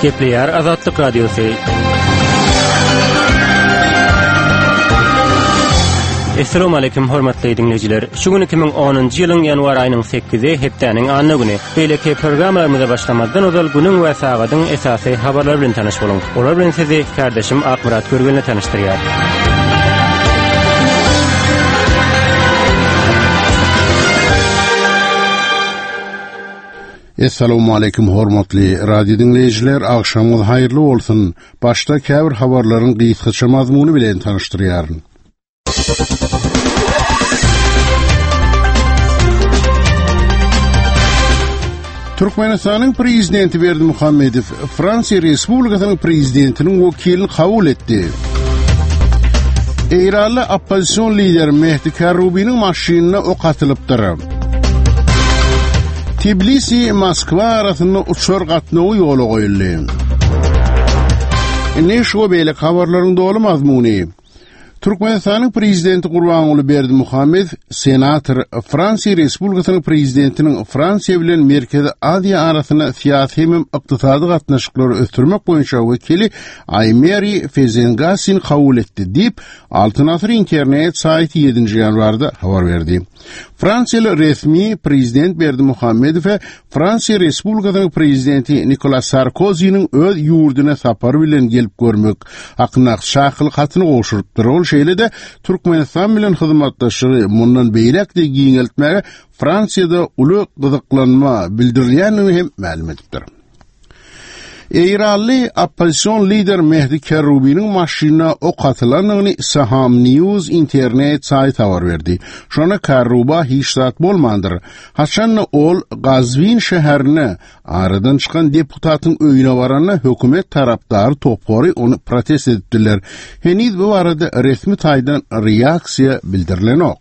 Gepleýär Azatlyk Radiosy. Essalamu aleýkum hormatly diňleýjiler. Şu gün 2010-njy ýylyň ýanwar aýynyň 8-i hepdäniň anna güni. Beýleki programmalarymyza başlamazdan ozal günüň we sagadyň esasy habarlary bilen tanyş boluň. Olar bilen sizi kärdeşim Akmyrat Görgenli tanyşdyrýar. Essalawmaleýkim hormatly radio diňleýjiler, agşamyňyz haýyrly bolsun. Başda käbir habarlaryň gysgaça mazmuny bilen tanyşdyrýaryn. Türkmenistanyň Prezidenti Berdimuhamedow Fransiýa Respublikasynyň Prezidentiniň wekilini kabul etdi. Eýranly oppozision lider Mehdi Karrubiniň maşynyna ok atylypdyr. Tbilisi Moskwa arasynda uçar gatnawy ýola goýuldy. Indi şu we beýleki habarlaryň doly mazmuny. Türkmenistanyň Prezidenti Gurbanguly Berdimuhamedow senator Fransiýa Respublikasynyň Prezidentiniň Fransiýa bilen Merkezi Aziýa arasynda syýasy hemem ykdysady gatnaşyklary ösdürmek boýunça wekili Aýmeri Fezengasini kabul etdi diýip, Altyn Asyr internet saýty ýedinji ýanwarda habar berdi. Fransiýaly resmi prezident Berdimuhamedowa Fransiýa Respublikasynyň prezidenti Nikolas Sarkoziniň öz ýurduna sapar bilen gelip görmek hakyndaky çakylyk hatyny gowşurypdyr. Ol şeýle-de Türkmenistan bilen hyzmatdaşlygy mundan beýläk-de giňeltmäge Fransiýada uly gyzyklanma bildirilýändigini hem mälim edipdir. Eýranly oppozision lider Mehdi Kerrubiniň maşynyna ok atylandygyny Saham News internet saýty habar berdi. Şonda Kerruba hiç zat bolmandyr. Haçanda ol Gazwin şäherine aradan çykan deputatyň öýüne baranda hökümet tarapdary topary ony protest edipdirler. Heniz bu barada resmi taýdan reaksiýa bildirilenok.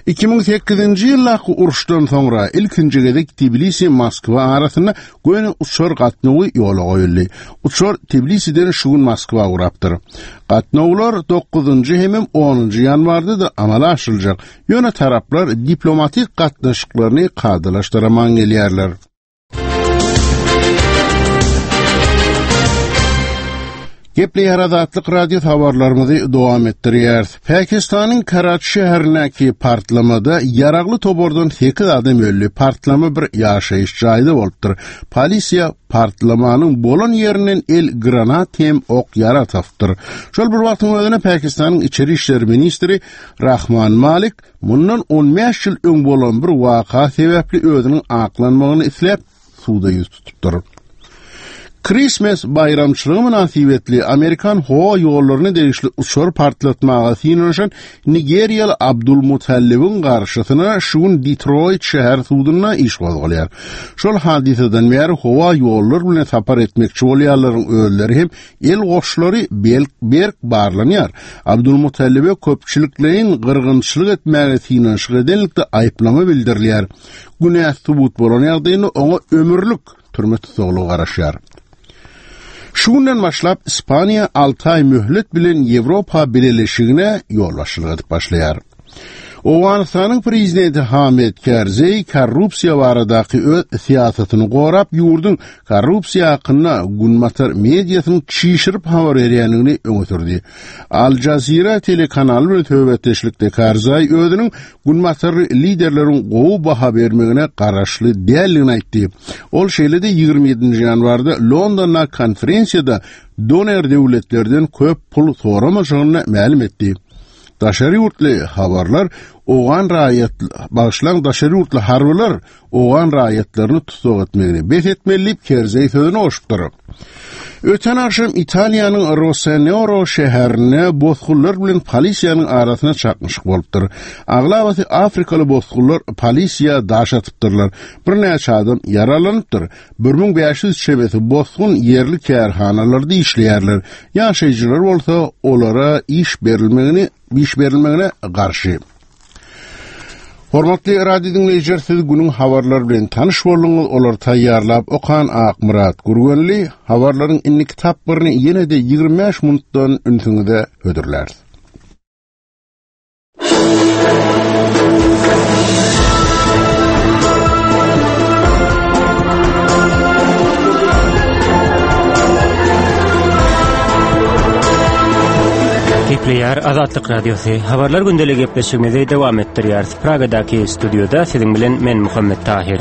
2008-nji ýyldaky uruşdan soňra ilkinji gezek Tbilisi-Moskwa arasynda göni uçar gatnawy ýola goýuldy. Uçar Tbilisiden şu gün Moskwa ugrapdyr. Gatnawlar dokuzynjy hemem onunjy ýanwarda-da amala aşyryljak. Ýöne taraplar diplomatik gatnaşyklaryny kadalaşdyraman gelýärler. Gepleýär Azatlyk Radio habarlarymyzy dowam etdirýäris. Pakistanyň Karaçi şäherindäki partlamada ýaragly topardan 8 adam öldi. Partlama bir ýaşaýyş jaýda bolupdyr. Polisiýa partlamanyň bolan ýerinden el granat hem ok ýarag tapypdyr. Şol bir wagtyň özünde Pakistanyň içeri işler ministri Rahman Malik Mundan on bäş ýyl öň bolan bir waka sebäpli özüniň aklanmagyny isläp, suda ýüz tutupdyr. Krismes baýramçylygy mynasybetli amerikan howa ýollaryna degişli uçar partlatmaga synanyşan nigeriýaly Abdul Mutallibiň garşysyna şu gün Detroýt şäher sudunda iş gozgalýar. Şol hadysadan bäri howa ýollar bilen sapar etmekçi bolýanlaryň özleri hem El goşlary belk berk barlanýar. Abdulmutallibe köpçülikleýin gyrgynçylyk etmäge synanyşyk edenlikde aýyplama bildirilýär. Günäsi subut bolan ýagdaýynda oňa ömürlik türme tussaglygy garaşýar. Şu günden başlap Ispaniýa alty aý möhlet bilen Ýewropa Bileleşigine ýolbaşçylyk edip başlaýar. Owganystanyň prezidenti Hamid Kerzeý korrupsiýa baradaky öz syýasatyny gorap, ýurduň korrupsiýa hakynda günbatar mediasynyň çişirip habar berýändigini öňe sürdi. Al Jazeera telekanaly bilen söhbetdeşlikde Karzaý özüniň günbatarly liderleriň gowy baha bermegine garaşly däldigini aýtdy. Ol şeýle-de 27 ýanwarda Londonda konferensiýada doner döwletlerden köp pul soramajagyny mälim etdi. Daşary ýurtly habarlar owgan raýat bagyşlaň daşary ýurtly harbylar owgan raýatlaryny tussag etmegini bes etmeli diýip Kerzeý sözüne goşupdyr. Öten agşam Italiýanyň Rosenoro şäherinde bosgunlar bilen polisiýanyň arasynda çaknyşyk bolupdyr. Aglabasy afrikaly bosgunlar polisiýa daş atypdyrlar. Birnäçe adam ýaralanypdyr. 1500 çemesi bosgun ýerli kärhanalarda işleýärler. Ýaşaýjylar bolsa olara iş berilmegini iş berilmegine garşy. Hormatly radio diňleýjiler, siz günüň habarlary bilen tanyş bolduňyz. Olary taýýarlap okan Akmyrat Gürgenli habarlaryň indiki tapgyryny ýene-de 25 minutdan ünsüňize hödürläris. Gepleýär Azatlyk Radiosy. Habarlar gündeligi gepleşigimizi dowam etdirýäris. Pragadaky studiýada siziň bilen men Muhammet Tahir.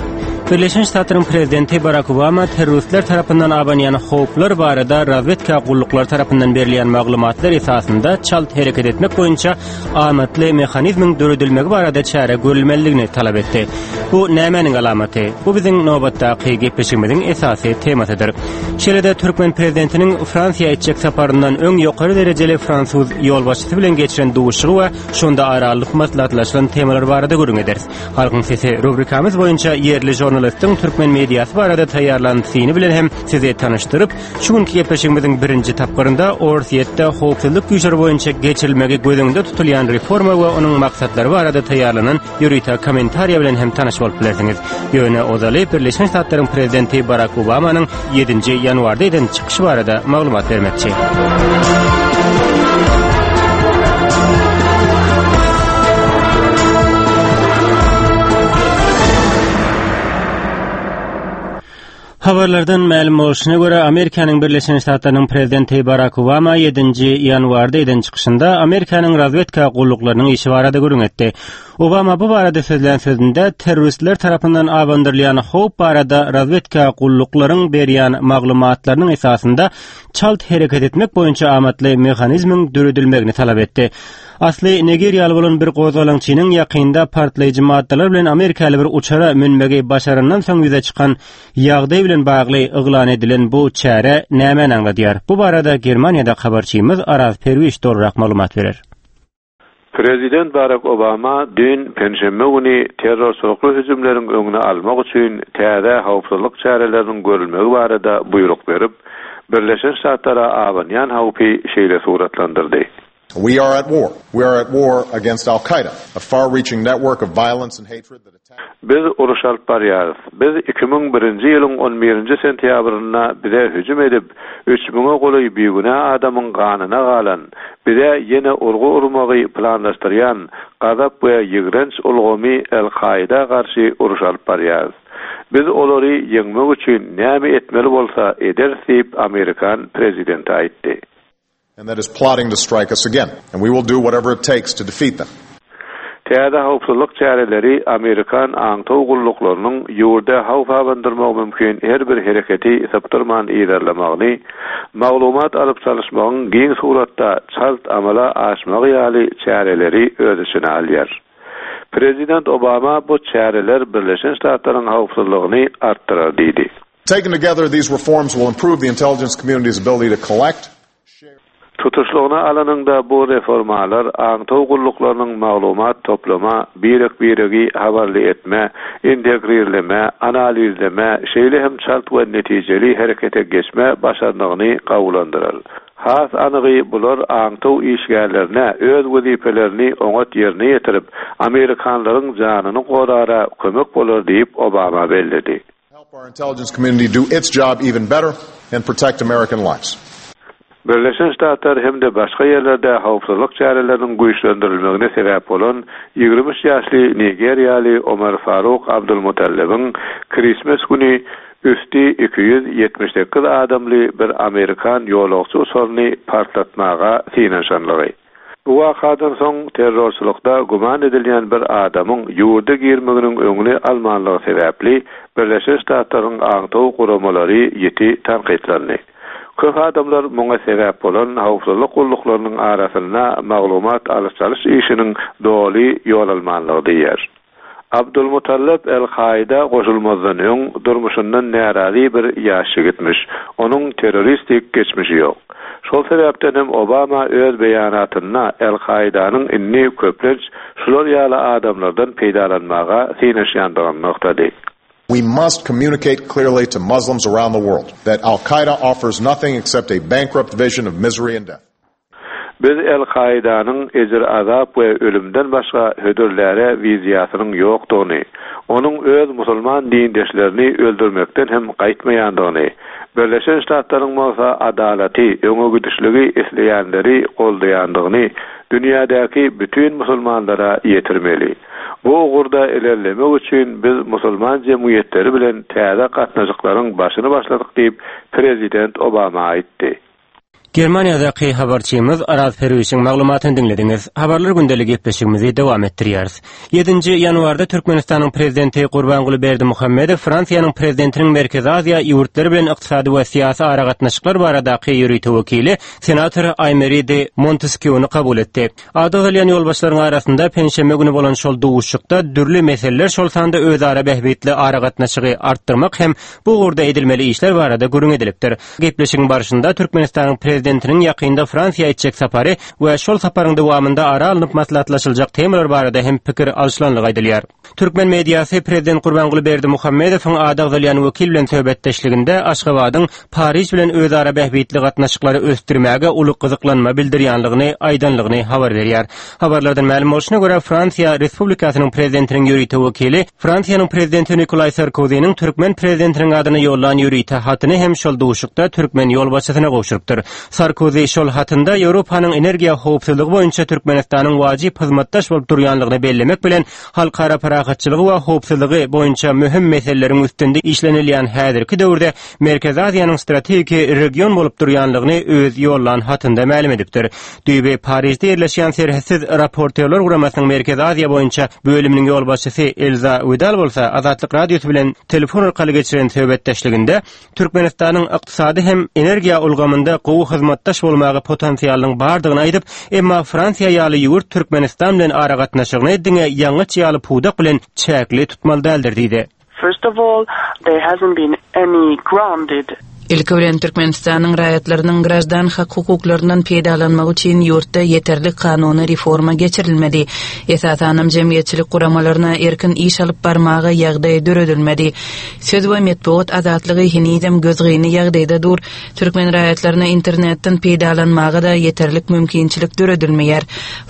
Birleşen Ştatlaryň prezidenti Barak Obama terroristler tarapyndan abanýan howplar barada razwedka gulluklary tarapyndan berilýän maglumatlar esasynda çalt hereket etmek boýunça amatly mehanizmiň döredilmegi barada çäre görülmelidigini talap etdi. Bu nämäniň alamaty? Bu biziň nobatdaky gepleşigimiziň esasy temasydyr. Şeýle-de türkmen prezidentiniň Fransiýa etjek saparyndan öň ýokary derejeli fransuz ýolbaşçysy bilen geçiren duşuşygy we şonda ara alnyp maslahatlaşylan temalar barada gürrüň ederis. Halkyň sesi rubrikamyz boýunça ýerli žurnalistiň türkmen mediasy barada taýýarlan syny bilen hem sizi tanyşdyryp, Şu günki gepleşigimiziň birinji tapgyrynda Orsýetde howpsuzlyk güýçleri boýunça geçirilmegi göz öňünde tutulýan reforma we onuň maksatlary barada taýýarlanan ýörite kommentariýa bilen hem tanyş bolup bilersiňiz. Ýöne ozaly Birleşen Ştatlaryň prezidenti Barak Obamanyň ýedinji ýanwarda eden çykyşy barada maglumat bermekçi. Habarlardan mälim bolşuna görä, Amerikanyň Birleşen Ştatlarynyň prezidenti Barak Obama ýedinji ýanwarda eden çykyşynda Amerikanyň razwedka gulluklarynyň işi barada gürrüň etdi. Obama bu barada sözlän sözünde terroristler tarapyndan abandyrylýan howp barada razwedka gulluklaryň berýän maglumatlarynyň esasynda çalt hereket etmek boýunça amatly mehanizmiň döredilmegini talap etdi. Asly nigeriýaly bolan bir gozgalaňçynyň ýakynda partlaýjy maddalar bilen amerikaly bir uçara münmegi başarandan soň ýüze çykan ýagdaý bilen bagly yglan edilen bu çäre nämäni aňladýar? Bu barada Germaniýadaky habarçymyz Araz Perwiş dolurak maglumat berer. Prezident Barak Obama düýn, penşenbe güni terrorçylykly hüjümleriň öňüni almak üçin täze howpsuzlyk çäreleriniň görülmegi barada buýruk berip, Birleşen Ştatlara abanýan howpy şeýle suratlandyrdy. We are at war. We are at war against Al-Qaeda, a far-reaching network of violence and hatred that attacks. Biz uruş alyp barýarys. Biz 2001-nji ýylyň on birinji sentýabrynda bize hüjüm edip, üç müňe golaý bigünä adamyň ganyna galan, bize ýene urgy urmagy planlaşdyrýan gazap we ýigrenç ulgamy Al-Kaida garşy uruş alyp barýarys. Biz olary ýeňmek üçin näme etmeli bolsa ederis diýip, amerikan prezidenti aýtdy. And that is plotting to strike us again, and we will do whatever it takes to defeat them. Täze howpsuzlyk çäreleri amerikan aňtaw gulluklarynyň ýurda howp abandyrmagy mümkin her bir hereketi sypdyrman yzarlamagyny, maglumat alyp-çalyşmagyň giň suratda çalt amala aşmagy ýaly çäreleri öz içine alýar. Prezident Obama bu çäreler Birleşen Ştatlaryň howpsuzlygyny artdyrar diýdi. Taken together, these reforms will improve the intelligence community's ability to collect, share. Tutuşlygyna alanyňda bu reformalar aňtaw gulluklarynyň maglumat toplama, birek-biregi habarly etme, integrirleme, analizleme, şeýle hem çalt we netijeli herekete geçme başarnygyny gowulandyrar. Has anygy bular aňtaw işgärlerine öz wezipelerini oňat ýerine ýetirip, amerikanlaryň janyny gorara kömek bolar diýip, Obama belledi. Help our intelligence community do its job even better and protect American lives. Birleşen Ştatlar hem-de başga ýerlerde howpsuzlyk çäreleriniň güýçlendirilmegine sebäp bolan 23 ýaşly nigeriýaly Omar Faruk Abdulmutallebiň Krismes güni üsti 278 adamly bir amerikan ýolagçy uçaryny partlatmaga synanyşanlygy. Bu wakadan soň terrorçylykda güman edilýän bir adamyň ýurda girmeginiň öňüni almanlygy sebäpli Birleşen Ştatlaryň aňtaw guramalary ýiti tankytlandy. Köp adamlar muňa sebäp bolan howpsuzlyk gulluklarynyň arasynda maglumat alyş-çalyş işiniň doly ýol almanlygy diýýär. Abdulmutallap El-Kaida goşulmazdan öň durmuşyndan närazy bir ýaş ýigitmiş. Onuň terroristik geçmişi ýok. Şol sebäpden hem Obama öz beýanatynda El-Kaidanyň indi köplenç şular ýaly adamlardan peýdalanmaga synanyşýandygyny nygtady. We must communicate clearly to Muslims around the world that Al-Qaeda offers nothing except a bankrupt vision of misery and death. Biz El-Kaidanyň ejir-azap we ölümden başga hödürläre wiziýasynyň ýokdugyny, onuň öz musulman dindeşlerini öldürmekden hem gaýtmaýandygyny, Birleşen Ştatlaryň bolsa adalaty, öňegidişligi isleýänleri goldaýandygyny dünýädäki bütin musulmanlara ýetirmeli. Bu ugurda ilerlemek üçin biz musulman jemgyýetleri bilen täze gatnaşyklaryň başyny başladyk diýip, prezident Obama aýtdy. Germaniýadaky habarçymyz Araz Perwişiň maglumatyny diňlediňiz. Habarlar gündeli gepleşigimizi dowam etdirýäris. Ýedinji ýanwarda Türkmenistanyň Prezidenti Gurbanguly Berdimuhamedow Fransiýanyň Prezidentiniň Merkezi Aziýa ýurtlary bilen ykdysady we syýasy aragatnaşyklar baradaky ýörite wekili, senator Aýmeri de Monteskýuny kabul etdi. Ady agzalýan ýolbaşçylaryň arasynda penşenbe güni bolan şol duşuşykda dürli meseleler, şol sanda özara bähbitli aragatnaşygy artdyrmak hem bu ugurda edilmeli işler barada gürrüň edilipdir. Gepleşigiň barşynda Türkmenistanyň Prezidentiniň ýakynda Fransiýa etjek sapary we şol saparyň dowamynda ara alnyp maslahatlaşyljak temalar barada hem pikir alşylanlygy aýdylýar. Türkmen mediasy Prezident Gurbanguly Berdimuhamedowyň ady agzalýan wekil bilen söhbetdeşliginde Aşgabadyň Pariž bilen özara bähbitli gatnaşyklary ösdürmäge uly gyzyklanma bildirýänligini aýdanlygyny habar berýär. Habarlardan mälim bolşuna görä, Fransiýa Respublikasynyň Prezidentiniň ýörite wekili Fransiýanyň Prezidenti Nikolaý Sarkoziniň türkmen Prezidentiniň adyna ýollan ýörite hatyny hem şol duşuşykda türkmen ýolbaşçysyna gowşurypdyr. Sarkozi şol hatynda Ýewropanyň energiýa howpsuzlygy boýunça Türkmenistanyň wajyp hyzmatdaş bolup durýanlygyny bellemek bilen, halkara parahatçylygy we howpsuzlygy boýunça möhüm meseleleriň üstünde işlenilýän häzirki döwürde Merkezi Aziýanyň strategiki region bolup durýanlygyny öz ýollan hatynda mälim edipdir. Düýbi Parižde ýerleşýän Serhetsiz raportýorlar guramasynyň Merkezi Aziýa boýunça bölüminiň ýolbaşçysy Elza Widal bolsa Azatlyk Radiosy bilen telefon arkaly geçiren söhbetdeşliginde Türkmenistanyň ykdysady hem energiýa ulgamynda gowy hyzmatdaş bolmaga potensialynyň bardygyny aýdyp, emma Fransiýa ýaly ýurt Türkmenistan bilen aragatnaşygyny diňe ýangyç ýaly pudak bilen çäkli tutmaly däldir diýdi. First of all, there hasn't been any grounded. Ilki bilen, Türkmenistanyň raýatlarynyň graždan hak-hukuklaryndan peýdalanmagy üçin ýurtda ýeterlik kanuny reforma geçirilmedi. Esasanam jemgyýetçilik guramalaryna erkin iş alyp barmaga ýagdaý döredilmedi. Söz we metbugat azatlygy henizem gözgyny ýagdaýda dur. Türkmen raýatlaryna internetden peýdalanmaga-da ýeterlik mümkinçilik döredilmeýär.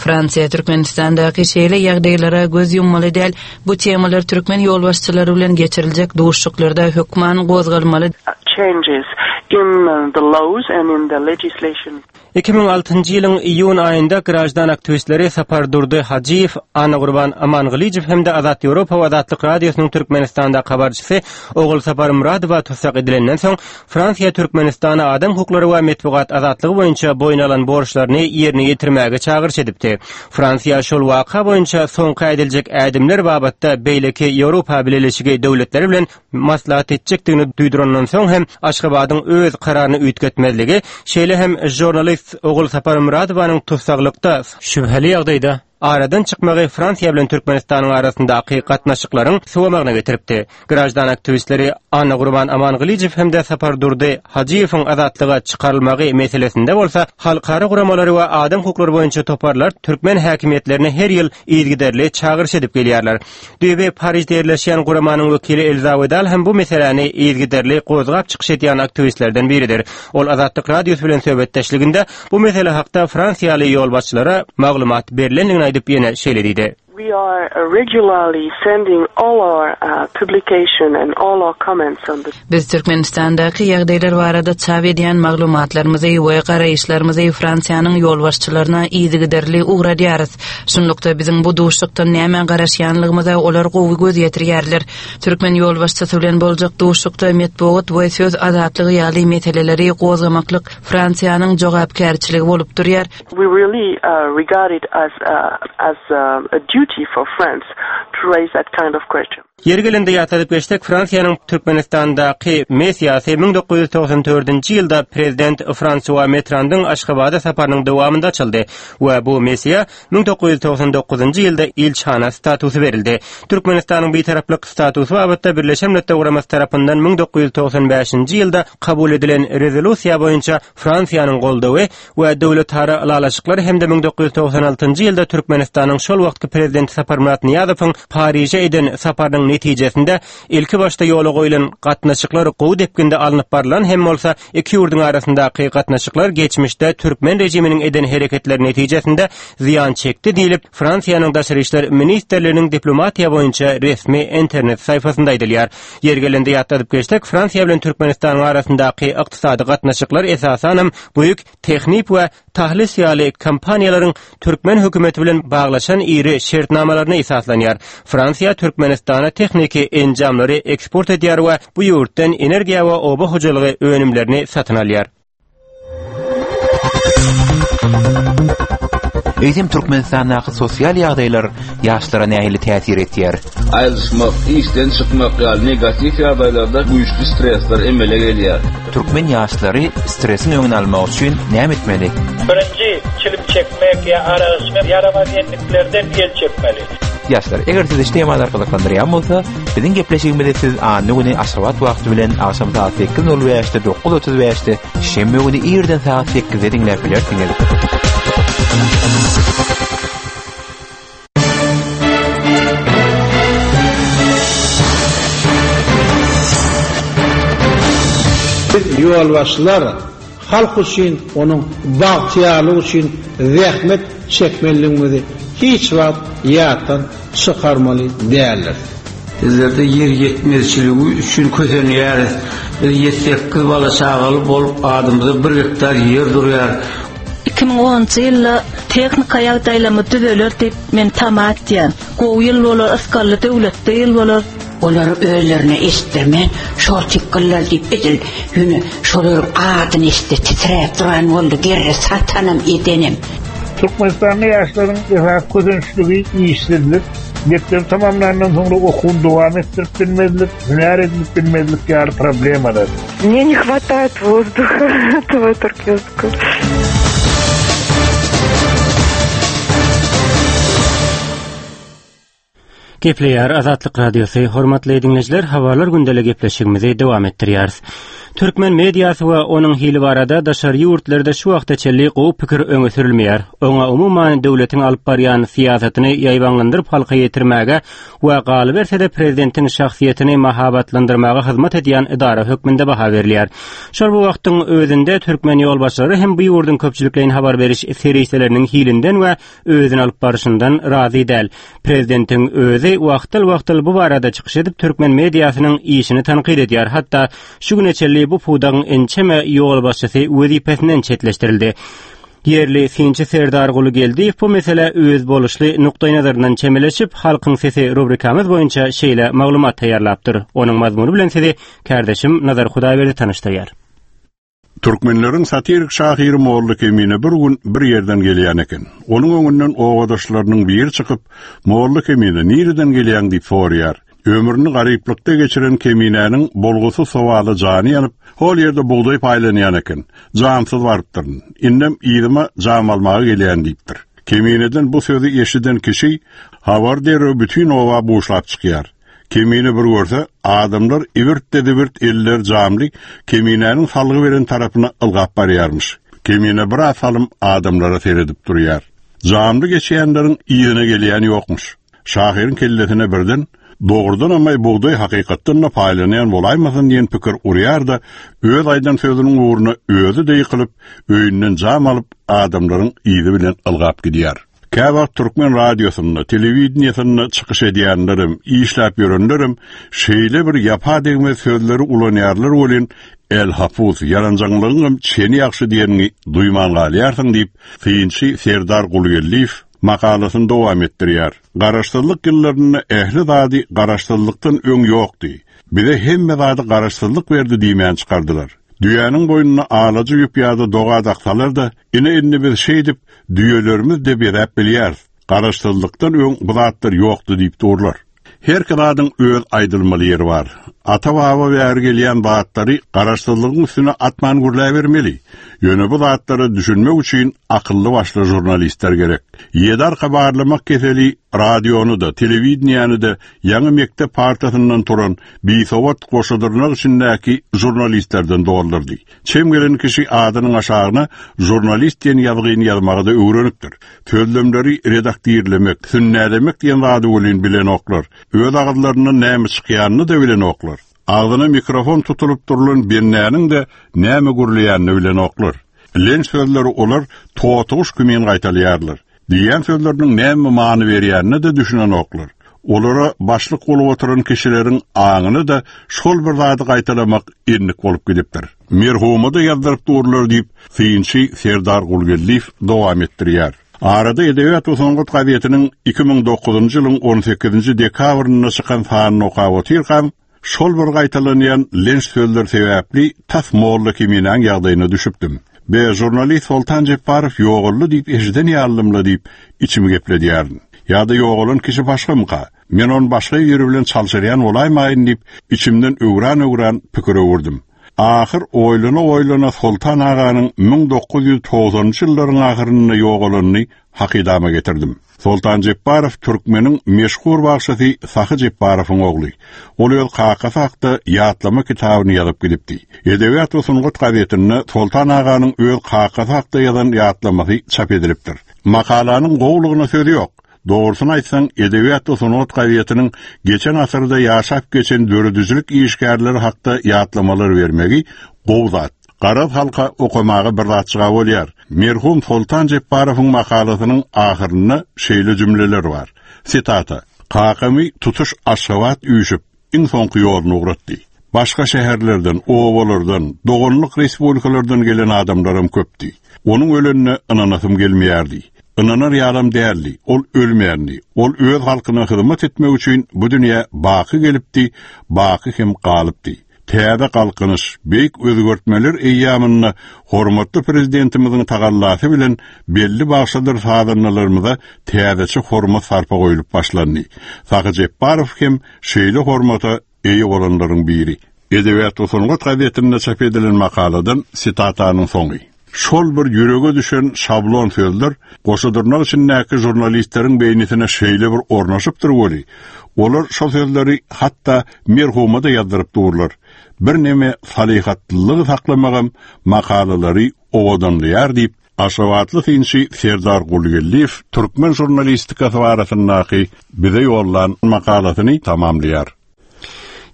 Fransiýa Türkmenistandaky şeýle ýagdaýlara göz ýummaly däl, Bu temalar türkmen ýolbaşçylary bilen geçiriljek duşuşyklarda hökman gozgalmaly. Changes in the laws and in the legislation. 2006-njy ýylyň iýun aýynda graždan aktiwistleri Sapardurdy Hajyýew, Annagurban Amangylyjow hem-de Azat Ýewropa we Azatlyk Radiosynyň Türkmenistandaky habarçysy Ogulsapar Myradowa tussag edilenden soň, Fransiýa Türkmenistana adam hukuklary we metbugat azatlygy boýunça boýun alan borçlaryny ýerine ýetirmäge çagyryş edipdi. Fransiýa şol waka boýunça soňky ädiljek ädimler babatda beýleki Ýewropa Bileleşigi döwletleri bilen maslahat etjekdigini duýdurandan soň hem Aşgabadyň öz kararyny üýtgetmezligi, şeýle hem žurnalist Ogulsapar Myradowanyň tussaglykda şübheli ýagdaýda aradan çykmagy Fransiýa bilen Türkmenistanyň arasyndaky gatnaşyklaryň sowamagyna getiripdi. Graždan aktiwistleri Annagurban Amangylyjow hem-de Sapardurdy Hajyýewiň azatlyga çykarylmagy meselesinde bolsa halkara guramalary we adam hukuklary boýunça toparlar türkmen häkimiýetlerine her ýyl yzygiderli çagyryş edip gelýärler. Düýbi Parižde ýerleşýän guramanyň wekili Elza Wedal hem bu meseläni yzygiderli gozgap çykyş edýän aktiwistlerden biridir. Ol Azatlyk Radiosy bilen söhbetdeşliginde bu mesele hakda fransiýaly ýolbaşçylara maglumat berlendigini aýdyp ýene şeýle diýdi. We are regularly sending all our publication and all our comments on the. Biz Türkmenistandaky ýagdaýlar barada çap edýän maglumatlarymyzy we garaýyşlarymyzy Fransiýanyň ýolbaşçylaryna yzygiderli ugradýarys. Şunlukda, biziň bu duşuşykdan nämä garaşýanlygymyza olar gowy göz ýetirýärler. Türkmen ýolbaşçysy bilen boljak duşuşykda metbugat we söz azatlygy ýaly meseleleri gozgamaklyk Fransiýanyň jogapkärçiligi bolup durýar. We really regard it as as a duty for France to raise that kind of question. Ýeri gelende ýatladyp geçsek, Fransiýanyň Türkmenistandaky missiýasy 1994-nji ýylda prezident Fransua Mitterandyň Aşgabada saparynyň dowamynda açyldy we bu missiýa 1999-njy ýylda ilçihana statusy berildi. Türkmenistanyň bitaraplyk statusy babatda Birleşen Milletler Guramasy tarapyndan 1995-nji ýylda kabul edilen rezolýusiýa boýunça Fransiýanyň goldawy we döwletara ylalaşyklar hem-de 1996-njy ýylda Türkmenistanyň şol wagtky Prezidenti Saparmyrat Nyýazowyň Pariže eden saparynyň netijesinde ilkibaşda ýola goýlan gatnaşyklar gowy depginde alnyp barlan hem bolsa, iki ýurduň arasyndaky gatnaşyklar geçmişde türkmen režiminiň eden hereketleri netijesinde zyýan çekdi diýlip, Fransiýanyň Daşary işler ministrliginiň diplomatiýa boýunça resmi internet saýpasynda aýdylýar. Ýeri gelende ýatladyp geçsek, Fransiýa bilen Türkmenistanyň arasyndaky ykdysady gatnaşyklar esasanam Bouygues, Technip we Thales ýaly kompaniýalaryň türkmen hökümeti bilen baglaşan iri şertnamalaryna esaslanýar. Fransiýa Türkmenistana tehniki enjamlary eksport edýär we bu ýurtdan energiýa we oba hojalygy önümlerini satyn alýar. Eýsem Türkmenistandaky sosial ýagdaýlar ýaşlara nähili täsir etýär? Aýrylyşmak, işden çykmak ýaly negatiw ýagdaýlarda güýçli stresler emele gelýär. Türkmen ýaşlary stresiň öňüni almak üçin näme etmeli? Birinji, çilim çekmek ýa arak içmek ýaramaz endiklerden el çekmeli. Ýaşlar, eger sizi şu temalar gyzyklandyrýan bolsa, biziň gepleşigimizi siz anna güni Aşgabat wagty bilen agşam sagat 8:05-de, 9:35-de, şenbe güni irden sagat 8-de diňläp bilersiňiz. Biz ýolbaşçylar halk üçin, onuň bagtyýarlygy üçin zähmet çekmelidigimizi hiç wagt ýatdan çykarmaly däldiris. Bizlerde ýer ýetmezçiligi üçin kösenýäris. Biz ýedi-sekiz bala-çagaly bolup adymyza bir gektar ýer durýar. 2010-njy ýylda tehnika ýagdaýlarymyz düzeler diýip men tama etýän. Gowy ýyl bolar, ysgally döwletli ýyl bolar. Olary özlerine eşitdirmän, şol tykgyllar diýip edil ýöne şolaryň adyny eşitse titräp duran boldy, gerre satanam edenem. Türkmenistanda ýaşlaryň esasy kösençligi işsizlik, mekdebi tamamlandan soňra okuwyny dowam etdirip bilmezlik, hünär edinip bilmezlik ýaly problemalar. Mne ne hwataet wozduha этого turkiyskого. Gepleýär Azatlyk Radiosy, hormatly diňleýjiler, habarlar gündeli gepleşigimizi dowam etdirýäris. Türkmen mediasy we onuň hili barada daşary ýurtlarda şu wagta çenli gowy pikir öňe sürülmeýär. Oňa umuman döwletiň alyp barýan syýasatyny ýaýbaňlandyryp halka ýetirmäge we galyberse-de prezidentiň şahsyýetini mahabatlandyrmaga hyzmat edýän edara hökmünde baha berilýär. Şol bir wagtyň özünde türkmen ýolbaşçylary hem bu ýurduň köpçülikleýin habar beriş serişdeleriniň hilinden we özüni alyp barşyndan razy däl. Prezidentiň özi wagtal-wagtal bu barada çykyş edip, türkmen mediasynyň işini tankyt edýär. Hatda şu güne çenli bu pudagyň ençeme ýolbaşçysy wezipesinden çetleşdirildi. Ýerli synçy Serdarguly Geldiýew bu meselä özboluşly nukdaýnazaryndan çemeleşip, Halkyň sesi rubrikamyz boýunça şeýle maglumat taýýarlapdyr. Onuň mazmuny bilen sizi kärdeşim Nazar Hudaýberdi tanyşdyrýar. Türkmenleriň satirik şahyry Molla Kemine bir gün bir ýerden gelýän eken. Onuň öňünden obadaşlarynyň biri çykyp, Molla Kemine, nireden gelýäň diýip soraýar. Ömrüni garyplykda geçiren Keminäniň bolgusyz sowala jany ýanyp, hol ýerde bugdaý paýlanýan eken. Jamsyz barypdyryn. Indem yzyma jam almaga gelýän diýipdir. Kemineden bu sözi eşiden kişi habar derrew bütin oba buşlap çykýar. Kemine bir görse, adamlar ibirt-de-zibirt elleri jamly Keminäniň salgy beren tarapyna ylgap barýarmyş. Kemine biraz salym adamlara seredip durýar. Jamly geçýänleriň yzyna gelýän ýokmuş. Şahyryň kellesine birden, Dogrudanam-aý bugdaý hakykatdan-da paýlanýan bolaýmasyn diýen pikir urýar-da, öz aýdan sözüniň ugruna özi-de ýykylyp, öýünden jam alyp, adamlaryň yzy bilen ylgap gidýär. Käwagt türkmen radiosynda, telewideniýesinde çykyş edýänlerem, işläp ýörenlerem şeýle bir ýapa degmez sözleri ulanýarlar welin, älhapus, ýaranjaňlygyňam çeni ýagşy diýeniňi duýman galýarsyň diýip, synçy Serdar Gulgeldiýew Makalasyny dowam etdirýär. Garaşsyzlyk ýyllarynda ähli zady garaşsyzlykdan öň ýokdy. Bize hemme zady garaşsyzlyk berdi diýmän çykardylar. Düýäniň boýnuna alaja ýüp ýa-da doga daksalar-da, ine indi biz şeýdip düýelerimiz-de bezäp bilýäris. Garaşsyzlykdan öň bu zatlar ýokdy diýip durlar. Herki zadyň öz aýdylmaly ýeri bar. Ata-baba bäri gelýän zatlary garaşsyzlygyň üstüne atman gürläbermeli. Ýöne bu zatlara düşünmek üçin akylly-başly žurnalistler gerek. Ýedi arka barlamak keseli radiony-da, telewideniýäni-de ýaňy mekdep partasyndan turan bisowat goşadyrnak içindäki žurnalistlerden doldurdy. Çem gelen kişi adynyň aşagyna žurnalist diýen ýazgyny ýazmagy-da öwrenipdir. Sözlemleri redaktirlemek, sünnälemek diýen zady welin bilenoklar. Öz agyzlaryndan näme çykýanyny-da bilenoklar. Agzyna mikrofon tutulyp durlan bendäniň-de näme gürleýänini bilenoklar. Lenç sözleri olar totyguş kimin gaýtalaýarlar. Diýýän sözleriniň näme many berýänine-de düşünenoklar. Olara başlyk bolup oturan kişileriň aňyna-da şol bir zady gaýtalamak endik bolup gidipdir. Merhuma-da ýazdyryp durlar diýip, synçy Serdar Gulgeldiýew dowam etdirýär. Arada Edebiýat we sungat gazetiniň 2009-njy ýylyň on sekizinji dekabrynda çykan sanyny okap otyrkam, Şol bir gaýtalanýan lenç sözler sebäpli tas molla Keminäň ýagdaýyna düşüpdim. Be, žurnalist Soltan Jepbarow ýogaldy diýip eşiden ýalydym-la diýip, içimi gepledýärin. Ýa-da ýogalan kişi başgamyka? Men ony başga biri bilen çalşyrýan bolaýmaýyn diýip, içimden öwran-öwran pikir öwürdim. Ahyr oýlana-oýlana Soltan aganyň 1990-njy ýyllaryň ahyrynda ýogalanyny hakydama getirdim. Soltan Jepbarow türkmeniň meşhur bagşysy Sahy Jepbarowyň ogly. Ol öz kakasy hakda ýatlama kitabyny ýazyp gidipdi. Edebiýat we sungat gazetinde Soltan aganyň öz kakasy hakda ýazan ýatlamasy çap edilipdir. Makalanyň gowulygyna söz ýok. Dogrusyny aýtsaň, Edebiýat we sungat gazetiniň geçen asyrda ýaşap geçen döredijilik işgärleri hakda ýatlamalar bermegi gowy zat. Garaz halka okamaga bir zatjyga bolýar. Merhum Soltan Jepbarowyň makalasynyň ahyrynda şeýle jümleler bar. Sitata, Kakamy tutuş Aşgabat üýşüp, iň soňky ýoluna ugratdy. Başga şäherlerden, obalardan, doganlyk respublikalardan gelen adamlaram köpdi. Onuň ölenine ynanasym gelmeýärdi. Ynanar ýalam däldi. Ol ölmändi. Ol öz halkyna hyzmat etmek üçin bu dünýä baky gelipdi, baky hem galypdy. Täze Galkynyş, beýik özgertmeler eýýamynda hormatly Prezidentimiziň tagallasy bilen belli bagşydyr sazandalarymyza täzeçe hormat-sarpa goýlup başlandy. Sahy Jepbarow hem şeýle hormata eýe bolanlaryň biri. Edebiýat we sungat gazetinde çap edilen makaladan sitatanyň soňy. Şol bir ýürege düşen şablon sözler goşa dyrnak içindäki žurnalistleriň beýnisine şeýle bir ornaşypdyr weli, olar şo sözleri hatda merhuma-da ýazdyryp durlar. Birneme salyhatlylygy saklamagam makalalary owadanlaýar diýip, aşgabatly synçy Serdar Gulgeldiýew türkmen žurnalistikasy barasyndaky bize ýollan makalasyny tamamlaýar.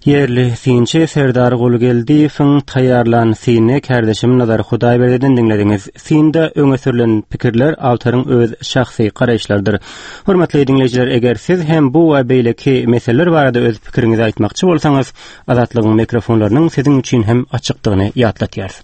Ýerli synçy Serdar Gulgeldiýewiň taýýarlan synyny kärdeşim Nazar Hudaýberdiden diňlediňiz. Synda öňe sürlen pikirler awtoryň öz şahsy garaýyşlarydyr. Hormatly diňleýjiler, eger siz hem bu we beýleki meseleler barada öz pikiriňizi aýtmakçy bolsaňyz, Azatlygyň mikrofonlarynyň siziň üçin hem açykdygyny ýatlatýarys.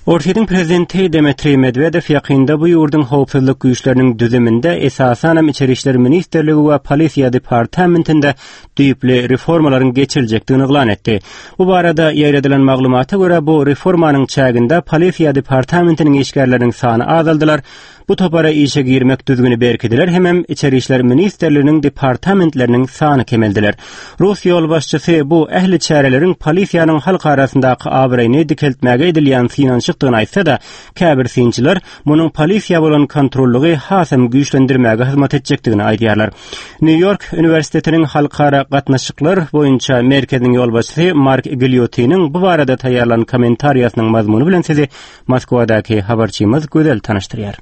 Orsýetiň prezidenti Dmitriý Medwedew ýakynda bu ýurduň howpsuzlyk güýçleriniň düzüminde, esasanam Içeri işler ministrligi we polisiýa departamentinde düýpli reformalaryň geçiriljekdigini yglan etdi. Bu barada ýaýradylan maglumata görä, bu reformanyň çäginde polisiýa departamentiniň işgärleriniň sany azaldylar, Bu topara işe girmek düzgüni berkidiler hemem Içeri işler ministrliginiň departamentleriniň sany kemeldiler. Rus ýolbaşçysy bu ähli çäreleriň polisiýanyň halk arasyndaky abraýyny dikeltmäge edilýän synanyşykdygyny aýtsa-da, käbir synçylar munuň polisiýa bolan kontrollygy hasam güýçlendirmäge hyzmat etjekdigini aýdýarlar. Nýu-Ýork uniwersitetiniň halkara gatnaşyklar boýunça merkeziniň ýolbaşçysy Mark Gilýotiniň bu barada taýýarlan kommentariýasynyň mazmuny bilen sizi Moskwadaky habarçymyz Gözel tanyşdyrýar.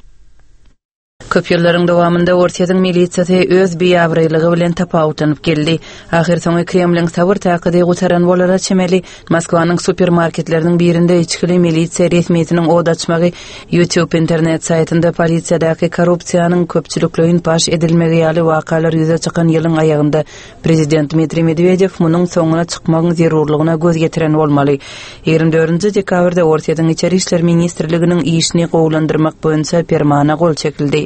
Köp ýyllaryň dowamynda Orsýetiň milisiýasy öz biabraýlygy bilen tapawutlanyp geldi. Ahyrsoňy Kremliň sabyr-takady gutaran bolara çemeli, Moskwanyň supermarketleriniň birinde içgili milisiýa resmisiniň ot açmagy, YouTube internet saýtynda polisiýadaky korrupsiýanyň köpçülikleýin paş edilmegi ýaly wakalar ýüze çykan ýylyň aýagynda Prezident Dmitriý Medwedew munuň soňuna çykmagyň zerurlygyna göz ýetiren bolmaly. 24 dekabrda Orsýetiň Içeri işler ministrliginiň işini gowulandyrmak boýunça permana gol çekildi.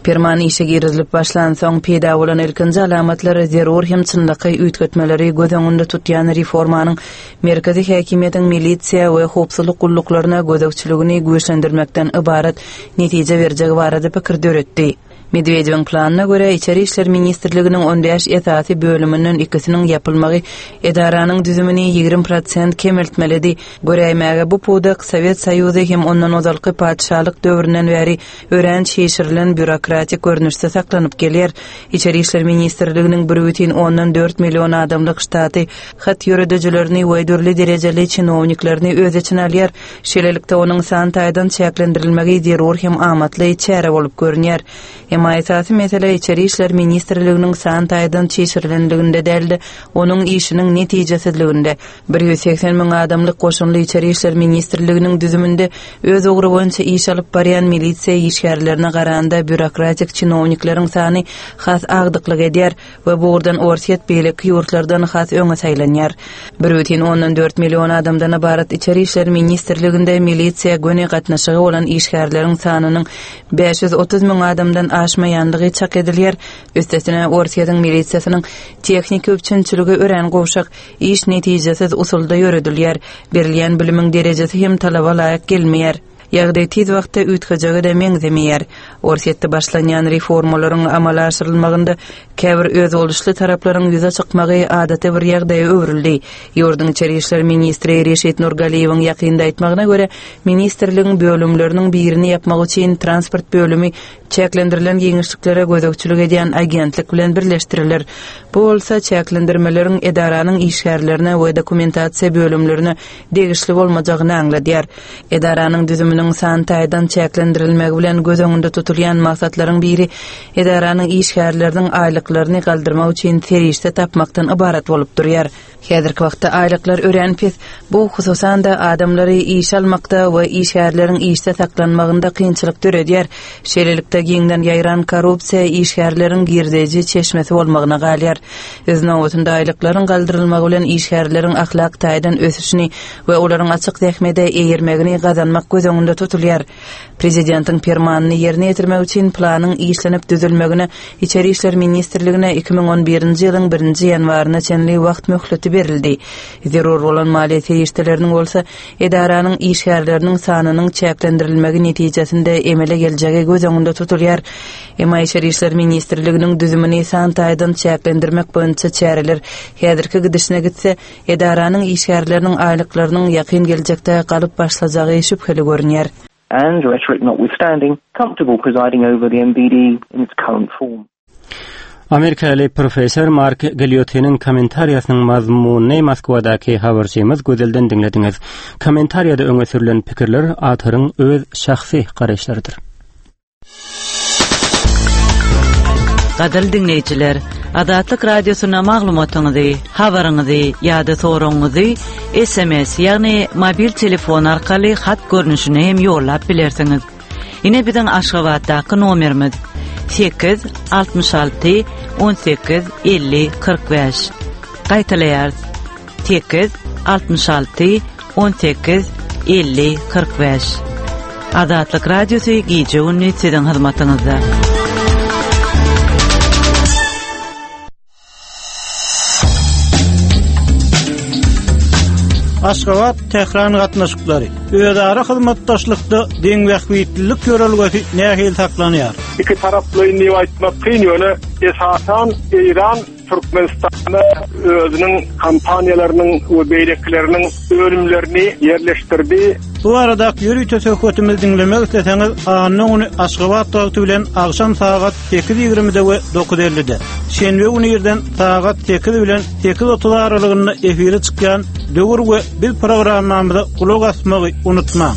Perman işe girizilip başlansoň, peýda bolan ilkinji alamatlar zerur hem çynlakaý üýtgetmeleri göz öňünde tutýan reformanyň merkezi häkimiýetiň milisiýa we howpsuzlyk gulluklaryna gözegçiligini güýçlendirmekden ybarat netije berjegi barada pikir döretdi. Medwedewiň planyna görä, Içeri işler ministrliginiň on bäş esasy bölüminden ikisiniň ýapylmagy edaranyň düzümini 20 prosent kemeltmelidi. Göräýmäge, bu pudak Sowet Soýuzy hem ondan ozalky patyşalyk döwründen bäri örän çişirilen býurokratik görnüşde saklanyp gelýär. Içeri işler ministrliginiň bir bütin ondan dört million adamlyk ştaty hat ýöredijilerini we dürli derejeli çinowniklerini öz içine alýar. Şeýlelikde, onuň san taýdan çäklendirilmegi zerur hem amatly çäre bolup görünýär. Emma esasy mesele Içeri işler ministrliginiň san taýdan çişirilenliginde däl-de, onuň işiniň netijesizliginde. 180 müň adamlyk goşunly Içeri işler ministrliginiň düzüminde öz ugry boýunça iş alyp barýan milisiýa işgärlerine garanda býurokratik çinownikleriň sany has agdyklyk edýär. we bu ugurdan Orsýet beýleki ýurtlardan has öňe saýlanýar. Bir bütin ondan dört million adamdan ybarat Içeri işler ministrliginde milisiýa göni gatnaşygy bolan işgärleriň sanynyň 530 müň adamdan aşmaýandygy çak edilýär. Üstesine, Orsýetiň milisiýasynyň tehniki üpjünçiligi örän gowşak, iş netijesiz usulda ýöredilýär, berilýän bilimiň derejesi hem talaba laýyk gelmeýär. Ýagdaý tiz wagtda üýtgejege-de meňzemeýär. Orsýetde başlanýan reformalaryň amala aşyrylmagynda käbir özboluşly taraplaryň ýüze çykmagy adaty bir ýagdaýa öwrüldi. Ýurduň içeri işler ministri Reşit Nurgaliýewiň ýakynda aýtmagyna görä, ministrligiň bölümleriniň birini ýapmak üçin transport bölümi çäklendirilen giňişliklere gözegçilik edýän agentlik bilen birleşdiriler. Bu bolsa çäklendirmeleriň edaranyň işgärlerine we dokumentasiýa bölümlerine degişli bolmajagyny aňladýar. Edaranyň düzüminiň san taýdan çäklendirilmegi bilen göz öňünde tutulýan maksatlaryň biri edaranyň işgärleriniň aýlyklaryny galdyrmak üçin serişde tapmakdan ybarat bolup durýar. Häzirki wagtda aýlyklar örän pes, bu, hususan-da, adamlary işe almakda we işgärleriň işde saklanmagynda kynçylyk döredýär. Şeýlelikde, giňden ýaýran korrupsiýa işgärleriň girdeji çeşmesi bolmagyna galýar. Öz nobatynda, aýlyklaryň galdyrylmagy bilen işgärleriň ahlak taýdan ösüşini we olaryň açyk zähmede eýermegini gazanmak göz öňünde tutulýar. Prezidentiň permanyny ýerine ýetirmek üçin planyň işlenip düzülmegine Içeri işler ministrligine 2011-nji ýylyň birinji ýanwaryna çenli wagt möhleti berildi. Zerur bolan maliýe serişdeleriniň bolsa edaranyň işgärleriniň sanynyň çäklendirilmegi netijesinde emele geljegi göz öňünde tutulýar. Emma Içeri işler ministrliginiň düzümini san taýdan çäklendirmek boýunça çäreler häzirki gidişine gitse, Edaranyň işgärleriniň aýlyklarynyň ýakyn geljekde galyp başlajagy şübheli görünýär. And, rhetoric notwithstanding, comfortable presiding over the MVD in its current form. Amerikaly professor Mark Gilýotiniň kommentariýasynyň mazmunyny Moskwadaky habarçymyz Gözelden diňlediňiz. Kommentariýada öňe sürlen pikirler awtoryň öz şahsy garaýyşlarydyr. Gadyrly diňleýjiler, Azatlyk Radiosyna maglumatyňyzy, habaryňyzy ýa-da soragyňyzy SMS, ýagny mobil telefon arkaly hat görnüşinde hem ýollap bilersiňiz. Ine biziň Aşgabatdaky nomerimiz 8 66 18 50 45. Gaýtalaýarys. 8 66 18 50 45. Azatlyk Radiosy gije-gündiz siziň hyzmatyňyzda. Aşgabat, Tähran gatnaşyklary. Özara hyzmatdaşlykda deňbähbitlilik ýörelgesi nähili saklanýar? Ikitaraplaýyn diýip aýtmak kyn, ýöne esasan Eýran Türkmenistanda özüniň kompaniýalarynyň we beýlekileriniň önümlerini ýerleşdirdi. Bu baradaky ýörite söhbetimizi diňlemek isleseňiz, anna güni Aşgabat wagty bilen agşam sagat sekiz ýigrimide we dokuz ellide, şenbe güni irden sagat sekiz bilen sekiz otuz aralygynda efire çykýan Döwür we biz programmamyza gulak asmagy unutmaň.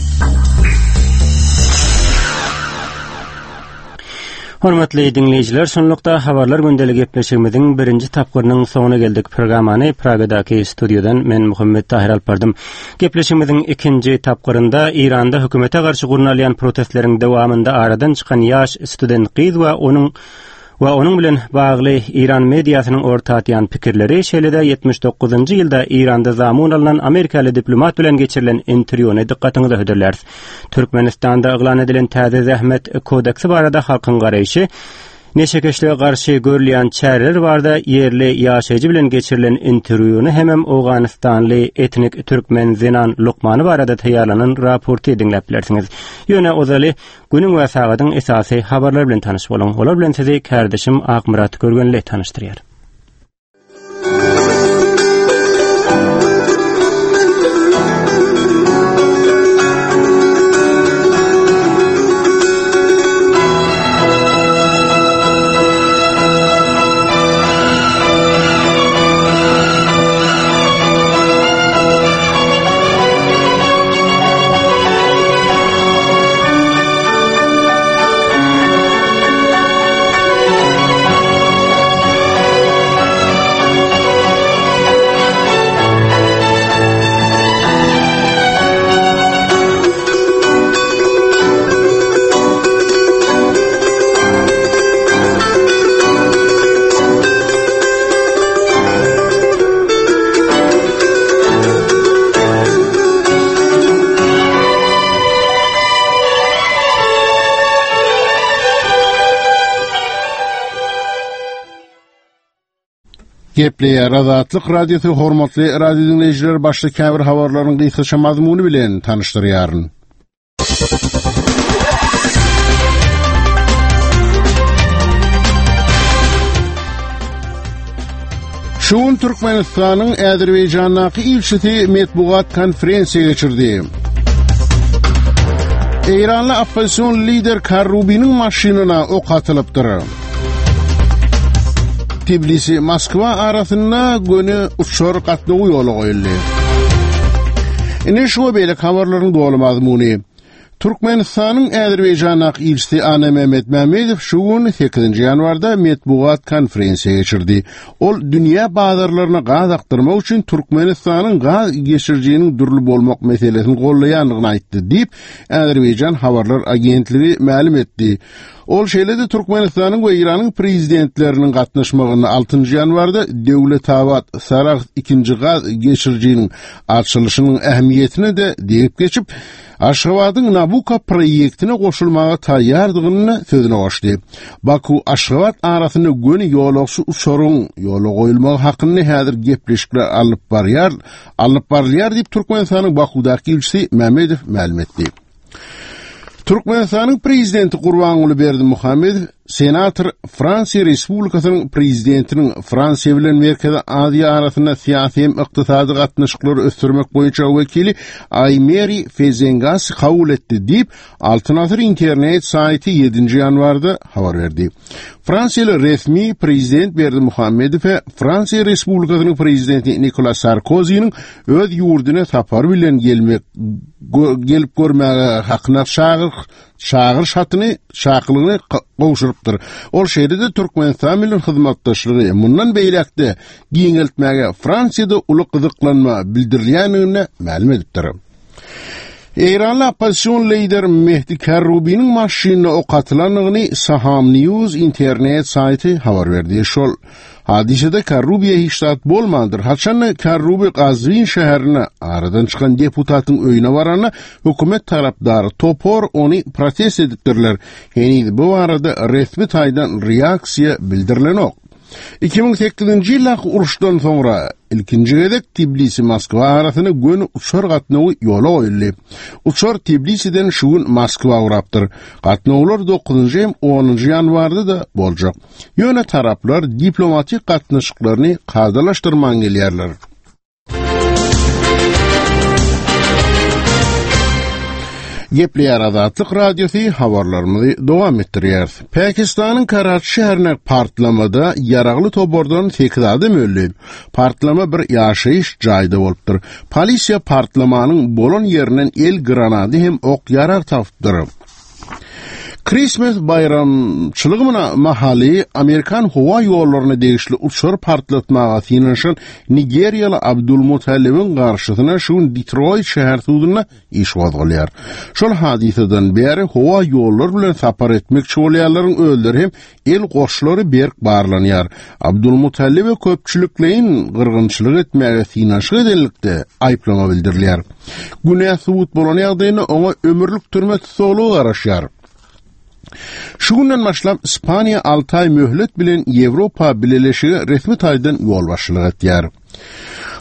Hormatly diňleýjiler, şunlukda Habarlar gündeli gepleşigimiziň birinji tapgyrynyň soňuna geldik. Programmany Pragadaky studiýadan men Muhammet Tahyr alyp bardym. Gepleşigimiziň ikinji tapgyrynda Eýranda hökümete garşy gurnalýan protestleriň dowamynda aradan çykan ýaş student gyz we onuň we onuň bilen bagly Eýran mediasynyň orta atýan pikirleri, şeýle-de 79-njy ýylda Eýranda zamun alnan amerikaly diplomat bilen geçirilen interwýuny dykgatyňyza hödürläris. Türkmenistanda yglan edilen täze zähmet kodeksi barada halkyň garaýşy, neşekeşlige garşy görülýän çäreler barada ýerli ýaşaýjy bilen geçirilen interwýuny hemem owganystanly etnik türkmen zenan lukmany barada taýýarlanan raporty diňläp bilersiňiz. Ýöne ozaly günüň we sagadyň esasy habarlary bilen tanyş boluň. Olar bilen sizi kärdeşim Akmyrat Görgenli tanyşdyrýar. Gepleýär Azatlyk Radiosy hormatly radio diňleýjiler başda käbir habarlaryň gysgaça mazmuny bilen tanyşdyrýaryn. Şu gün Türkmenistanyň Azerbaýjandaky ilçisi metbugat konferensiýa geçirdi. Eýranly oppozision lider Karrubiniň maşynyna ok atylypdyr. Tbilisi Moskwa arasynda göni uçar gatnawy ýola goýuldy. Ine şu we beýleki habarlaryň doly mazmuny. Türkmenistanyň Azerbaýjandaky ilçisi Annamämmet Mämmedow şu gün, sekizinji ýanwarda metbugat konferensiýa geçirdi. Ol dünýä bazarlaryna gaz akdyrmak üçin Türkmenistanyň gaz geçirijiniň dürli bolmak meselesini goldaýandygyny aýtdy diýip, Azerbaýjan habarlar agentligi mälim etdi. Ol şeýle-de Türkmenistanyň we Eýranyň prezidentleriniň gatnaşmagynda altynjy ýanwarda Döwletabat, Sarahs ikinji gaz geçirijiniň açylyşynyň ähmiýetine-de degip geçip, Aşgabadyň Nabucco proýektine goşulmaga taýýardygyny sözüne goşdy. Baku-Aşgabat arasynda göni ýolagçy uçaryň ýola goýulmagy hakynda häzir gepleşikler alnyp barýar, alnyp barylýar diýip, Türkmenistanyň Bakuwdaky ilçisi Mämmedow mälim etdi. Türkmenistanyň Prezidenti Gurbanguly Berdimuhamedow senator Fransiýa Respublikasynyň Prezidentiniň Fransiýa bilen Merkezi Aziýa arasynda syýasy hem ykdysady gatnaşyklary ösdürmek boýunça wekili Aýmeri Fezengasy kabul etdi diýip, Altyn Asyr internet saýty ýedinji ýanwarda habar berdi. Fransiýaly resmi Prezident Berdimuhamedowe Fransiýa Respublikasynyň Prezidenti Nikola Sarkoziniň öz ýurduna sapar bilen gelmek gelip görmäge hakyna çagyr çagyryş hatyny çakylygyny gowşurypdyr. Ol şeýle-de Türkmenistan bilen hyzmatdaşlygy mundan beýläk-de giňeltmäge Fransiýada uly gyzyklanma bildirilýändigini mälim edipdir. Eýranly oppozision lider Mehdi Kerrubiniň maşynyna ok atylandygyny Saham News internet saýty habar berdi. Şol hadysada Kerrubiýe hiç zat bolmandyr. Haçanda Kerrubi Gazwin şäherine aradan çykan deputatyň öýüne baranda hökümet tarapdary topar ony protest edipdirler. Heniz bu barada resmi taýdan reaksiýa bildirilenok. 2008-nji ýyldaky uruşdan soňra ilkinji gezek Tbilisi-Moskwa arasynda göni uçar gatnawy ýola goýuldy. Uçar Tbilisiden şu gün Moskwa ugrapdyr. Gatnawlar dokuzynjy hem onunjy ýanwarda-da boljak. Ýöne taraplar diplomatik gatnaşyklaryny kadalaşdyrman gelýärler. Gepleýär Azatlyk Radiosy habarlarymyzy dowam etdirýäris. Pakistanyň Karaçi şäherine partlamada ýaragly topardan 8 adam öldi. Partlama bir ýaşaýyş jaýda bolupdyr. Polisiýa partlamanyň bolan ýerinden el granady hem ok-ýarag tapypdyr. Krismes baýramçylygy mahaly amerikan howa ýollaryna degişli uçar partlatmaga synanyşan nigeriýaly Abdul Mutalibiň garşysyna şu gün Detroit şäher sudunda iş gozgalýar. Şol hadysadan bäri howa ýollary bilen sapar etmekçi bolýanlaryň özleri hem El goşlary berk barlanýar. Abdulmutallibe köpçülikleýin gyrgynçylyk etmäge synanyşyk edenlikde aýyplama bildirilýär. Günä subut bolan ýagdaýynda oňa ömürlik türme tussaglygy garaşýar. Şu günden başlap Ispaniýa alty aý möhlet bilen Ýewropa Bileleşige resmi taýdan ýolbaşçylyk etýär.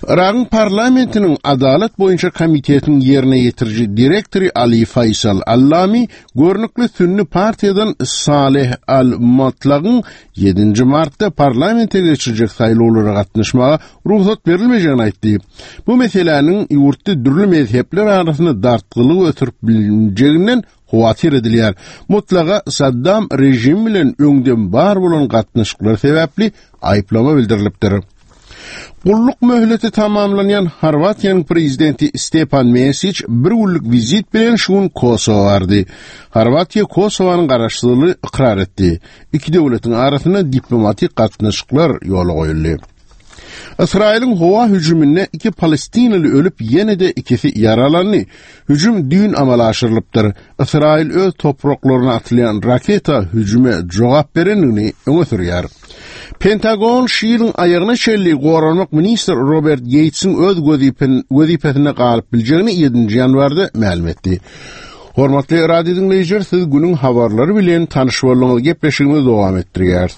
Yragyň parlamentiniň Adalat boýunça komitetiniň ýerine ýetiriji direktory Ali Faýsal Allami görnükli sünni partiýadan Saleh al-Matlagyň ýedinji martda parlamente geçiriljek saýlawlara gatnaşmaga rugsat berilmejegini aýtdy. Bu meseläniň ýurtda dürli mezhepler arasynda dartgynlygy ösdürip bilinjeginden howatyr edilýär. Mutlaga Saddam režimi bilen öňden bar bolan gatnaşyklar sebäpli aýyplama bildirilipdir. Gulluk möhleti tamamlanýan Horwatiýanyň prezidenti Stepan Mesiç bir günlük wizit bilen şu gün Kosowa bardy. Horwatiýa Kosowanyň garaşsyzlygyny ykrar etdi. Iki döwletiň arasynda diplomatik gatnaşyklar ýola goýuldy. Ysraýylyň howa hüjüminde iki palestinaly ölüp, ýene-de ikisi ýaralandy. Hüjüm düýn amala aşyrylypdyr. Ysraýyl öz topraklaryna atylýan raketa hüjüme jogap berendigini öňe sürýär. Pentagon şu ýylyň aýagyna çenli goranmak ministri Robert Geýtsiň öz wezipesinde galyp biljegini ýedinji ýanwarda mälim etdi. Hormatly radio diňleýjiler, siz günüň habarlary bilen tanyş bolduňyz. Gepleşigimizi dowam etdirýäris.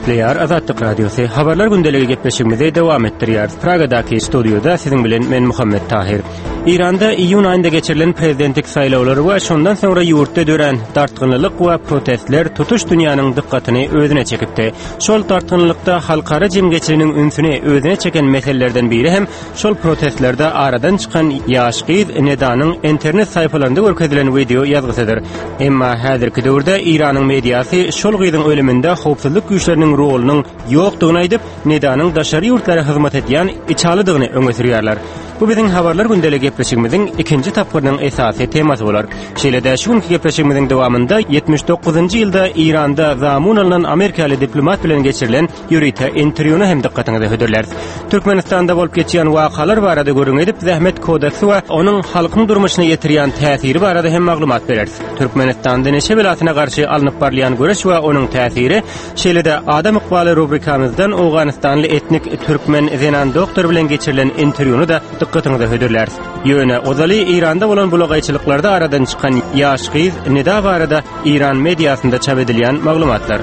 Gepleýär Azatlyk Radiosy. Habarlar gündeligi gepleşigimizi dowam etdirýäris. Pragadaky studiýada siziň bilen men Muhammet Tahir. Eýranda iýun aýynda geçirilen prezidentlik saýlawlary we şondan soňra ýurtda dörän dartgynlylyk we protestler tutuş dünýäniň dykgatyny özüne çekipdi. Şol dartgynlylykda halkara jemgyýetçiliginiň ünsüni özüne çeken meselelerden biri hem Şol protestlerde aradan çykan ýaş gyz Nedanyň internet saýfalarynda görkezilen wideo ýazgysydyr. Emma häzirki döwürde Eýranyň mediasy şol gyzyň ölüminde howpsuzlyk güýçleriniň rolunyň ýokdugyny aýdyp, Nedanyň daşary ýurtlara hyzmat edýän içalydygyny öňe sürýärler. Bu biziň Habarlar gündeligi gepleşigimiziň ikinji tapgyrynyň esasy temasy bolar. Şeýle-de şu günki gepleşigimiziň dowamynda 79-njy ýylda Eýranda zamun alnan amerikaly diplomat bilen geçirilen Ýörite interwýuny hem dykgatyňyza hödürläris. Türkmenistanda bolup geçýän wakalar barada gürrüň edip, zähmet kodeksi we onuň halkyň durmuşyna ýetirýän täsiri barada hem maglumat bereris. Türkmenistanda neşe belasyna garşy alnyp barylýan göreş we onuň täsiri, şeýle-de Adam ykbaly rubrikamyzdan owganystanly etnik türkmen zenan doktor bilen geçirilen interwýuny-da dykgatyňyza hödürläris. Ýöne ozaly Eýranda bolan bulagaýçylyklarda aradan çykan ýaş gyz Nida barada Eýran mediasynda çap edilýän maglumatlar.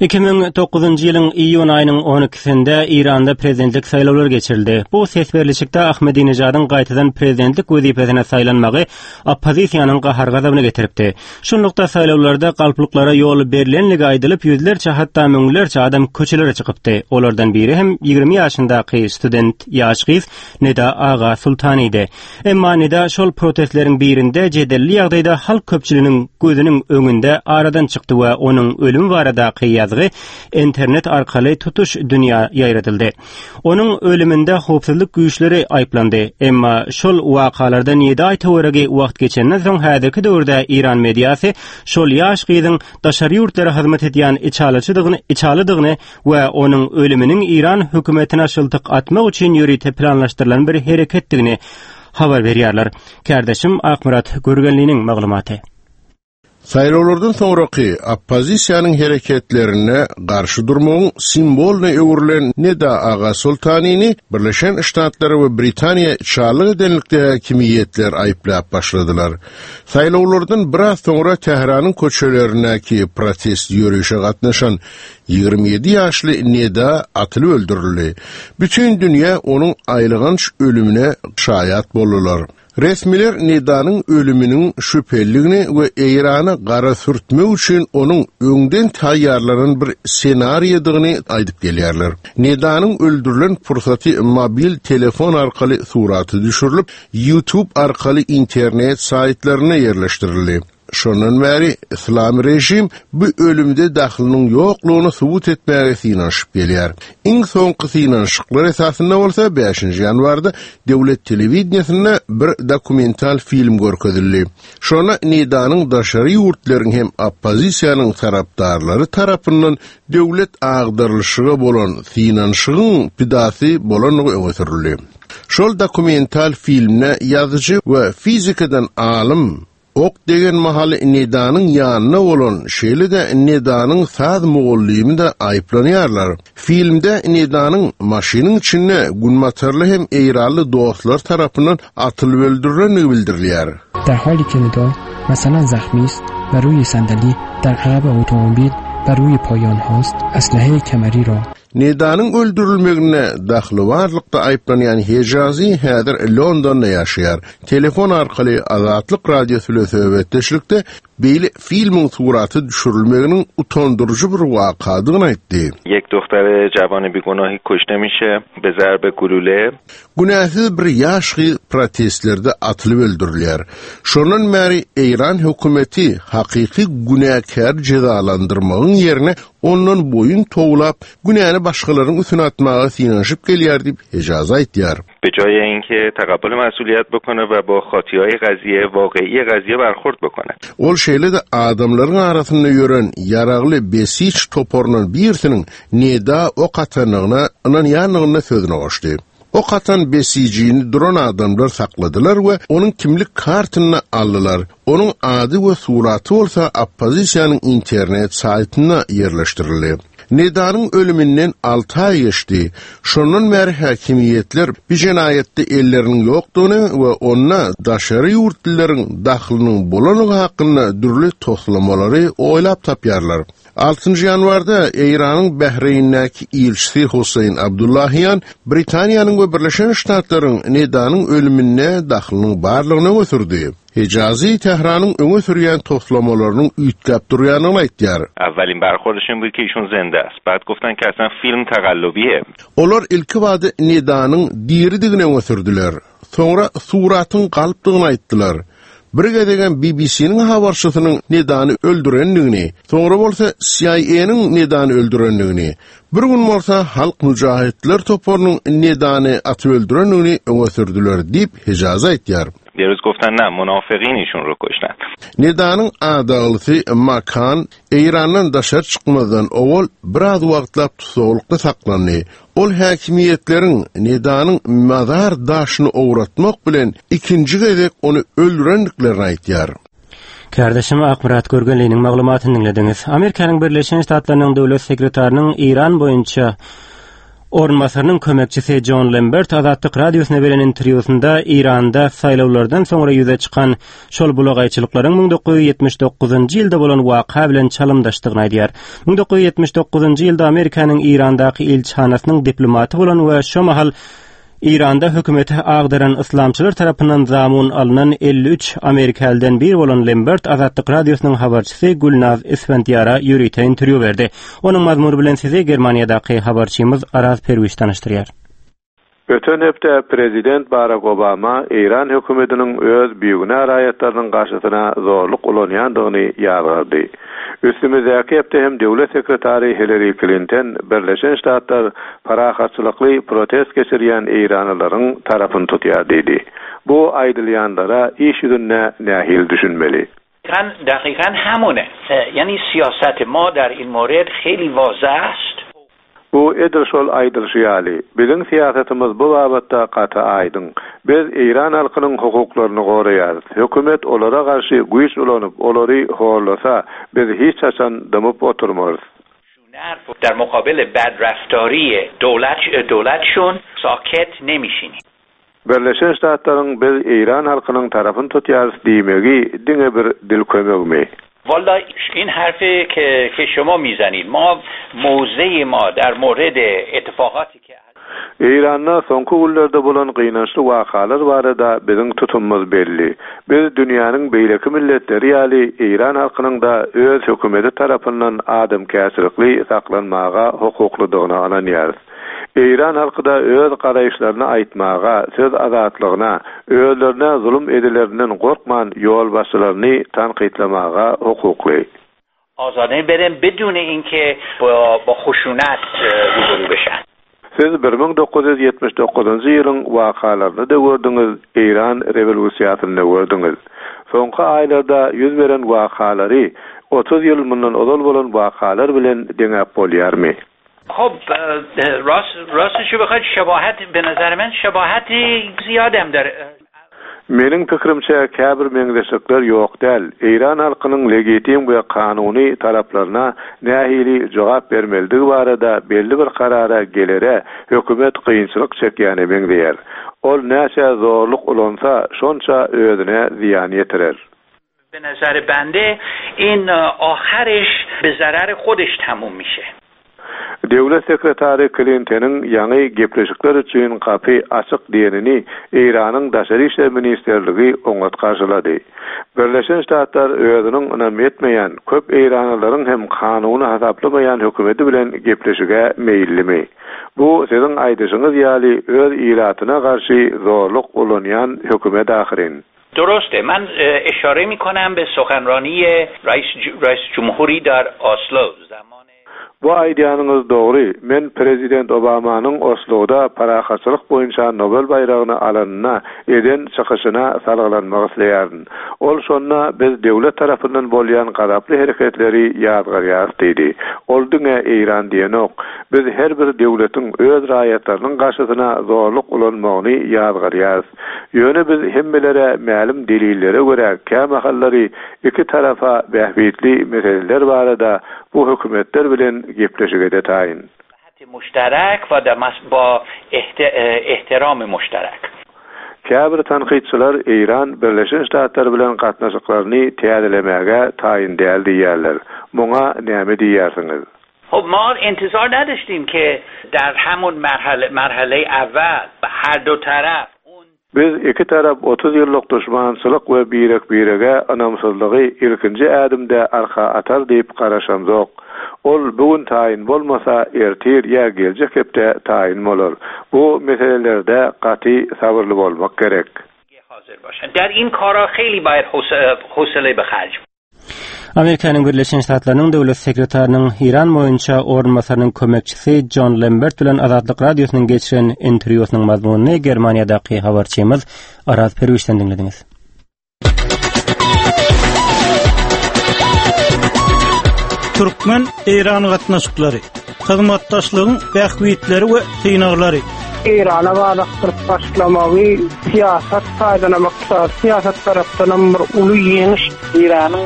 2009-njy ýylyň iýun aýynyň 12-sinde Eýranda prezidentlik saýlawlary geçirildi. Bu ses berlişikde Ahmedinejadyň gaýtadan prezidentlik wezipesine saýlanmagy oppozisiýanyň gahar-gazabyny getiripdi. Şunlukda saýlawlarda galplyklara ýol berlenligi aýdylyp, ýüzlerçe, hatda müňlerçe adam köçelere çykypdy. Olardan biri hem 20 ýaşyndaky student ýaş gyz Neda Aga Sultanydy. Emma Neda şol protestleriň birinde jedelli ýagdaýda halk köpçüliginiň gözüniň öňünde aradan çykdy we onuň ölümi baradaky ýazgy internet arkaly tutuş dünýä ýaýradyldy. Onuň ölüminde howpsuzlyk güýçleri aýyplandy. Emma şol wakalardan ýedi aý töweregi wagt geçenden soň häzirki döwürde Eýran mediasy şol ýaş gyzyň daşary ýurtlara hyzmat edýän içalyçydygyny içalydygyny we onuň ölüminiň Eýran hökümetine şyltyk atmak üçin ýörite planlaşdyrylan bir hereketdigini habar berýärler. Kärdeşim Akmyrat Görgenliniň maglumaty. Saýlawlardan soňraky oppozisiýanyň hereketlerine garşy durmagyň simwolyna öwrülen Neda Aga Soltanini Birleşen Ştatlar we Britaniýa içalyk edenlikde häkimiýetler aýyplap başladylar. Saýlawlardan biraz soňra Tähranyň köçelerindäki protest ýörişe gatnaşan 27 ýaşly Neda atylyp öldürildi. Bütin dünýä onuň aýylganç ölümine şaýat boldular. Resmiler Nedanyň ölüminiň şübhelidigini we Eýrana gara sürtmek üçin onuň öňden taýýarlanan bir ssenariýadygyny aýdyp gelýärler. Nedanyň öldürilen pursaty mobil telefon arkaly surata düşürilip, YouTube arkaly internet saýtlarynda ýerleşdirildi. Şondan bäri yslamy režim bu ölümde dahlynyň ýoklugyny subut etmäge synanyşyp gelýär. Iň soňky synanyşyklar esasynda bolsa bäşinji ýanwarda döwlet telewideniýesinde bir dokumental film görkezildi. Şonda Nidanyň daşary ýurtlaryň hem oppozisiýanyň tarapdarlary tarapyndan döwlet agdarylyşyga bolan synanyşygyň pidasy bolandygy öňe sürüldi. Şol dokumental filmde ýazyjy we fizikadan alym Ok degen mahaly Nedanyň ýanynda bolan, şeýle-de Nedanyň saz mugallymy-da aýyplanýarlar. Filmde Nedanyň maşynyň içinde günbatarly hem eýranly dostlary tarapyndan atylyp öldürilendigi bildirilýär. در حالی که ندا مثلا زخمی است و روی صندلی در عقب اتومبیل و روی پای آنهاست اسلحه کمری را Nedanyň öldürilmeginde dahly barlykda aýyplanýan Hejazi häzir Londonda ýaşaýar. Telefon arkaly Azatlyk Radiosy bilen söhbetdeşlikde beýle filmiň surata düşürilmeginiň utandyryjy bir wakadygyny aýtdy. Ýek dohtar jawan bigunahi kuşte mişe be zarbe gulule. Günäsiz bir ýaş gyz protestlerde atylyp öldürilýär. Şondan bäri Eýran hökümeti hakyky günäkäri jezalandyrmagyň ýerine ondan boýun towlap, günäni başgalaryň üstüne atmaga synanyşyp gelýär diýip, Hejazi aýtýar. Be jaye inke taqabbol mas'uliyat bokone we ba khatihay qaziye waqe'i qaziye barkhord bokone. Ol şeýle-de adamlaryň arasynda ýören ýaragly Besiç toparyndan birisiniň Neda ok atandygyna ynanýandygyny sözüne goşdy. Ok atan besijini duran adamlar sakladylar we onuň kimlik kartyny aldylar. Onuň ady we suraty bolsa oppozisiýanyň internet saýtynda ýerleşdirildi. Nedanyň ölüminden alty aý geçdi. Şondan bäri häkimiýetler bu jenaýatda elleriniň ýokdugyny we onda daşary ýurtlylaryň dahlynyň bolandygy hakynda dürli toslamalary oýlap tapýarlar. Altynjy ýanwarda Eýranyň Bahreýndäki ilçisi Hosseýn Abdullahian Britaniýanyň we Birleşen Ştatlaryň Nedanyň ölüminde dahlynyň barlygyny öňe sürdi. Hejazi Tähranyň öňe sürýän toslamalarynyň üýtgäp durýandygyny aýtýar. اولین برخوردشون بود که ایشون زنده است بعد گفتن که اصلا فیلم تقلبیه. Olar ilkibada Nedanyň diridigini öňe sürdüler. Soňra suratyň galpdygyny aýtdylar. Bir gezegem BBC-niň habarçysynyň Nedany öldürendigini, soňra bolsa CIA-nyň Nedany öldürendigini, bir gün bolsa Halk mujahidler toparynyň Nedany atyp öldürendigini öňe sürdüler diýip, Hejazi aýtýar. یه روز گفتن نه منافقین ایشون رو کشتن. Nedanyň adaglysy Makan Eýrandan daşary çykmazdan owal biraz wagtlap tussaglykda saklandy. Ol häkimiýetleriň Nedanyň mazar daşyny owratmak bilen ikinji gezek ony öldürendiklerini aýdýar. Kärdeşim Akmyrat Görgenliniň maglumatyny diňlediňiz. Amerikanyň Birleşen Ştatlarynyň Döwlet sekretarynyň Eýran boýunça orunbasarynyň kömekçisi Jon Lembert Azatlyk Radiosyna beren interwýusynda Eýranda saýlawlardan soňra ýüze çykan şol bulagaýçylyklaryň 1979-njy ýylda bolan waka bilen çalymdaşdygyny aýdýar. 1979-njy ýylda Amerikanyň Eýrandaky ilçihanasynyň diplomaty bolan we şo mahal Eýranda hökümeti agdaran yslamçylar tarapyndan zamun alnan 53 amerikalydan biri bolan Lembert Azatlyk Radiosynyň habarçysy Gülnaz Isfendiýara ýörite interwýu berdi. Onuň mazmuny bilen sizi Germaniýadaky habarçymyz Araz Perwiş tanyşdyrýar. Öten hepde prezident Barak Obama Eýran hökümetiniň öz bigünä raýatlarynyň garşysyna zorluk ulanýandygyny ýazgardy. Üstümizdäki hepde hem döwlet sekretary Hillari Klinten Birleşen Ştatlar parahatçylykly protest geçirýän eýranlylaryň tarapyny tutýar diýdi. Bu aýdylýanlara iş ýüzünde nähili düşünmeli? دقیقا همونه یعنی سیاست ما در این مورد خیلی واضح است. Bu edil şol aýdylyşy ýaly, biziň syýasatymyz bu babatda gaty aýdyň. Biz eýran halkynyň hukuklaryny goraýarys. Hökümet olara garşy güýç ulanyp, olary horlasa, biz hiç haçan dymyp oturmarys. در مقابل بدرفتاری دولت دولتشون ساکت نمیشینیم. Birleşen Ştatlaryň biz eýran halkynyň tarapyny tutýarys diýmegi diňe bir dil kömegimi? والا این حرفی که که شما میزنید ما موضع ما در مورد اتفاقاتی که Eýranda soňky günlerde bolan gynançly wakalar barada biziň tutumymyz belli. Biz dünýäniň beýleki milletleri ýaly eýran halkynyň-da öz hökümeti tarapyndan adamkärçilikli saklanmaga hukuklydygyna ynanýarys. Eýran halky-da öz garaýyşlaryny aýtmaga, söz azatlygyna, özlerine zulum edilerinden gorkman ýolbaşçylaryny tankytlamaga hukukly. آزادانه برن بدون اینکه با با خشونت روبرو بشن. Siz 1979-njy ýylyň wakalaryny-da gördüňiz, Eýran rewolýusiýasyny-da gördüňiz. Soňky aýlarda ýüz beren wakalary 30 ýyl mundan ozal bolan wakalar bilen deňäp bolýarmy? خب راست راستشو بخواید شباهت به نظر من شباهت زیادم داره. Meniň pikirimçe käbir meňzeşlikler ýok däl. Eýran halkynyň legitim we kanuny talaplaryna nähili jogap bermelidigi barada belli bir karara gelere hökümet kynçylyk çekýäne meňzeýär. Ol näçe zorluk ulansa şonça özüne zyýan ýetirer. به نظر بنده این آخرش به ضرر خودش تموم میشه. Döwlet sekretary Klinteniň ýaňy gepleşikler üçin gapy açyk diýenini Eýranyň Daşary işler ministrligi oňat garşylady. Birleşen Ştatlar özüniň ynam etmeýän, köp eýranlylaryň hem kanuny hasaplamaýan hökümeti bilen gepleşige meýillimi? Bu siziň aýdyşyňyz ýaly öz ilatyna garşy zorluk ulanýan hökümet ahyryn. درسته من اشاره میکنم به سخنرانی رئیس, رئیس جمهوری در اسلو زمان Bu aýdýanyňyz dogry. Men prezident Obamanyň Osloda parahatçylyk boýunça Nobel baýragyny alanyna eden çykyşyna salgylanmak isleýärin. Ol şonda biz döwlet tarapyndan bolýan gazaply hereketleri ýazgarýarys diýdi. Ol diňe Eýran diýenok. Biz her bir döwletiň öz raýatlarynyň garşysyna zorluk ulanmagyny ýazgarýarys. Ýöne biz hemmelere mälim delillere görä kämahallary iki tarapa bähbitli meseleler barada bu hökümetler bilen. gepleşige-de taýyn. مشترک و با احترام مشترک. Käbir tankytçylar Eýran Birleşen Ştatlar bilen gatnaşyklaryny täzelemäge taýyn däl diýýärler. Muňa näme diýýärsiňiz? خب ما انتظار نداشتیم که در همون مرحله مرحله اول هر دو طرف Biz iki tarap 30 ýyllyk duşmançylyk we birek-birege ynamsyzlygy ilkinji ädimde arka atar diýip garaşamzok. Ol bu gün taýyn bolmasa, ertir ýa geljek hepde taýyn bolar. Bu meselelerde gaty sabyrly bolmak gerek. در این کارا خیلی باید حوصله به خرج Amerikanyň Birleşen Ştatlarynyň Döwlet sekretarynyň Eýran boýunça orunbasarynyň kömekçisi Jon Lembert bilen Azatlyk Radiosynyň geçiren interwýusynyň mazmunyny Germaniýadaky habarçymyz Araz Perwişden diňlediňiz. Türkmen-Eýran gatnaşyklary, hyzmatdaşlygyň bähbitleri we synaglary. Eýrana balakdyryp başlamagy syýasat taýdanam, ykdysady syýasat tarapdanam bir uly ýeňiş. Eýranyň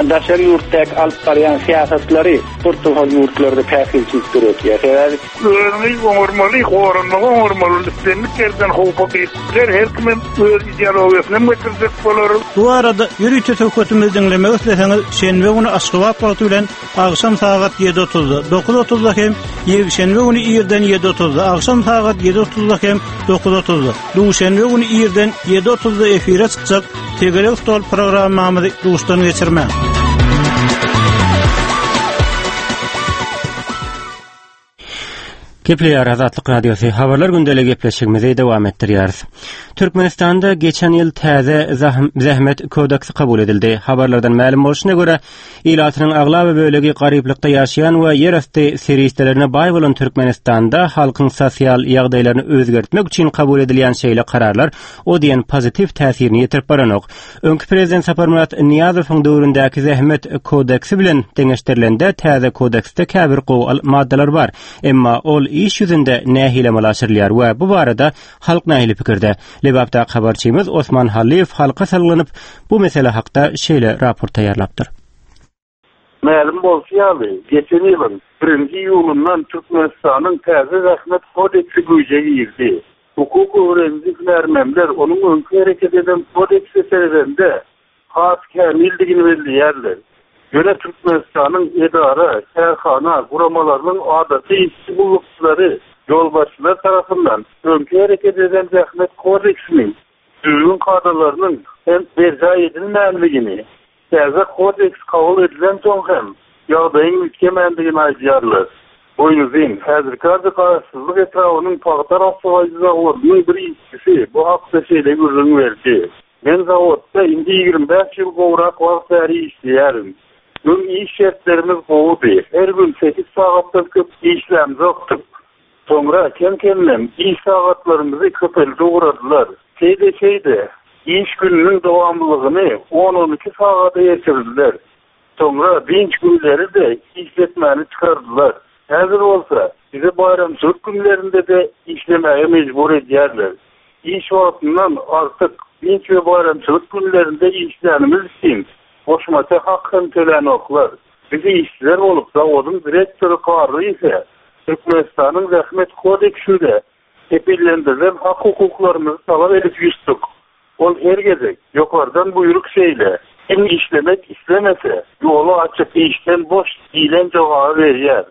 daşary ýurtdaky alyp barýan syýasatlary bir topar ýurtlarda päsgelçilik döretýär. Sebäbi. Özüňi oňarmaly, goranmagy oňarmaly, islendik ýerden howpa girip biler, her kimem öz ideologiýasyny hem getirjek bolar. Bu barada ýörite söhbetimizi diňlemek isleseňiz, şenbe güni Aşgabat wagty bilen agşam sagat ýedi otuzda, dokuz otuzda hem ýekşenbe güni irden ýedi otuzda, agşam sagat ýedi otuzda hem dokuz otuzda, duşenbe güni irden ýedi otuzda efire çykjak Tegelek stol programmamyzy duşdan geçirmäň. Gepleýär Azatlyk Radiosy Habarlar gündeligi gepleşigimizi dowam etdirýäris. Türkmenistanda geçen ýyl täze zähmet kodeksi kabul edildi. Habarlardan mälim bolşuna görä, ilatynyň aglaba bölegi garyplykda ýaşaýan we ýerasty serişdelerine baý bolan Türkmenistanda halkyň sosial ýagdaýlaryny özgertmek üçin kabul edilýän şeýle kararlar o diýen pozitiw täsirini ýetirip baranok. Öňki prezident Saparmyrat Nyýazowyň döwründäki zähmet kodeksi bilen deňeşdirilende täze kodeksde käbir gowy maddalar bar. Emma ol iş ýüzünde nähili amala aşyrylýar we bu barada halk nähili pikirde? Lebapdaky habarçymyz Osman Hallyýew halka salgylanyp, bu mesele hakda şeýle raport taýýarlapdyr. Mälim bolşy ýaly, geçen ýylyň birinji iýulyndan Türkmenistanyň täze Zähmet kodeksi güýje girdi. Hukuk öwreniji hünärmenler onuň öňki hereket eden kodekse seredende has kämildigini belleýärler. Ýöne Türkmenistanyň edara, kärhana, guramalarynyň adaty işçi gullukçylary ýolbaşçylar tarapyndan öňki hereket eden Zähmet kodeksiniň düzgün-kadalarynyň hem berjaý edilmändigini, täze kodeks kabul edilensoň hem ýagdaýyň üýtgemändigini aýdýarlar. Boýnuzyn, häzirki ady Garaşsyzlyk etrabynyň pagta rassalaýjy zawodynyň bir işçisi bu hakda şeýle gürrüň berdi, Men zawodda indi 25 ýyl gowrak wagt bäri işleýärin. Öň iş şertlerimiz gowudy, her gün sekiz sagatdan köp işlämzokdyk. Soňra kem-kemden iş sagatlarymyzy köpeldip ugradylar. Şeýde-şeýde, iş gününiň dowamlylygyny on-on iki sagada ýetirdiler. Soňra dynç günleri-de işletmäni çykardylar. Häzir bolsa, bizi baýramçylyk günlerinde-de işlemäge mejbur edýärler. Iş wagtyndan artyk dynç we baýramçylyk günlerinde işlänimiz üçin goşmaça hak hem tölänoklar. Biz işçiler bolup, zawodyň direktory Garryýewe Türkmenistanyň Zähmet kodeksinde kepillendirilen hak-hukuklarymyzy talap edip ýüz tutduk. Ol her gezek, Ýokardan buýruk şeýle, kim işlemek islemese, ýoly açyk, işden boş diýlen jogaby berýär.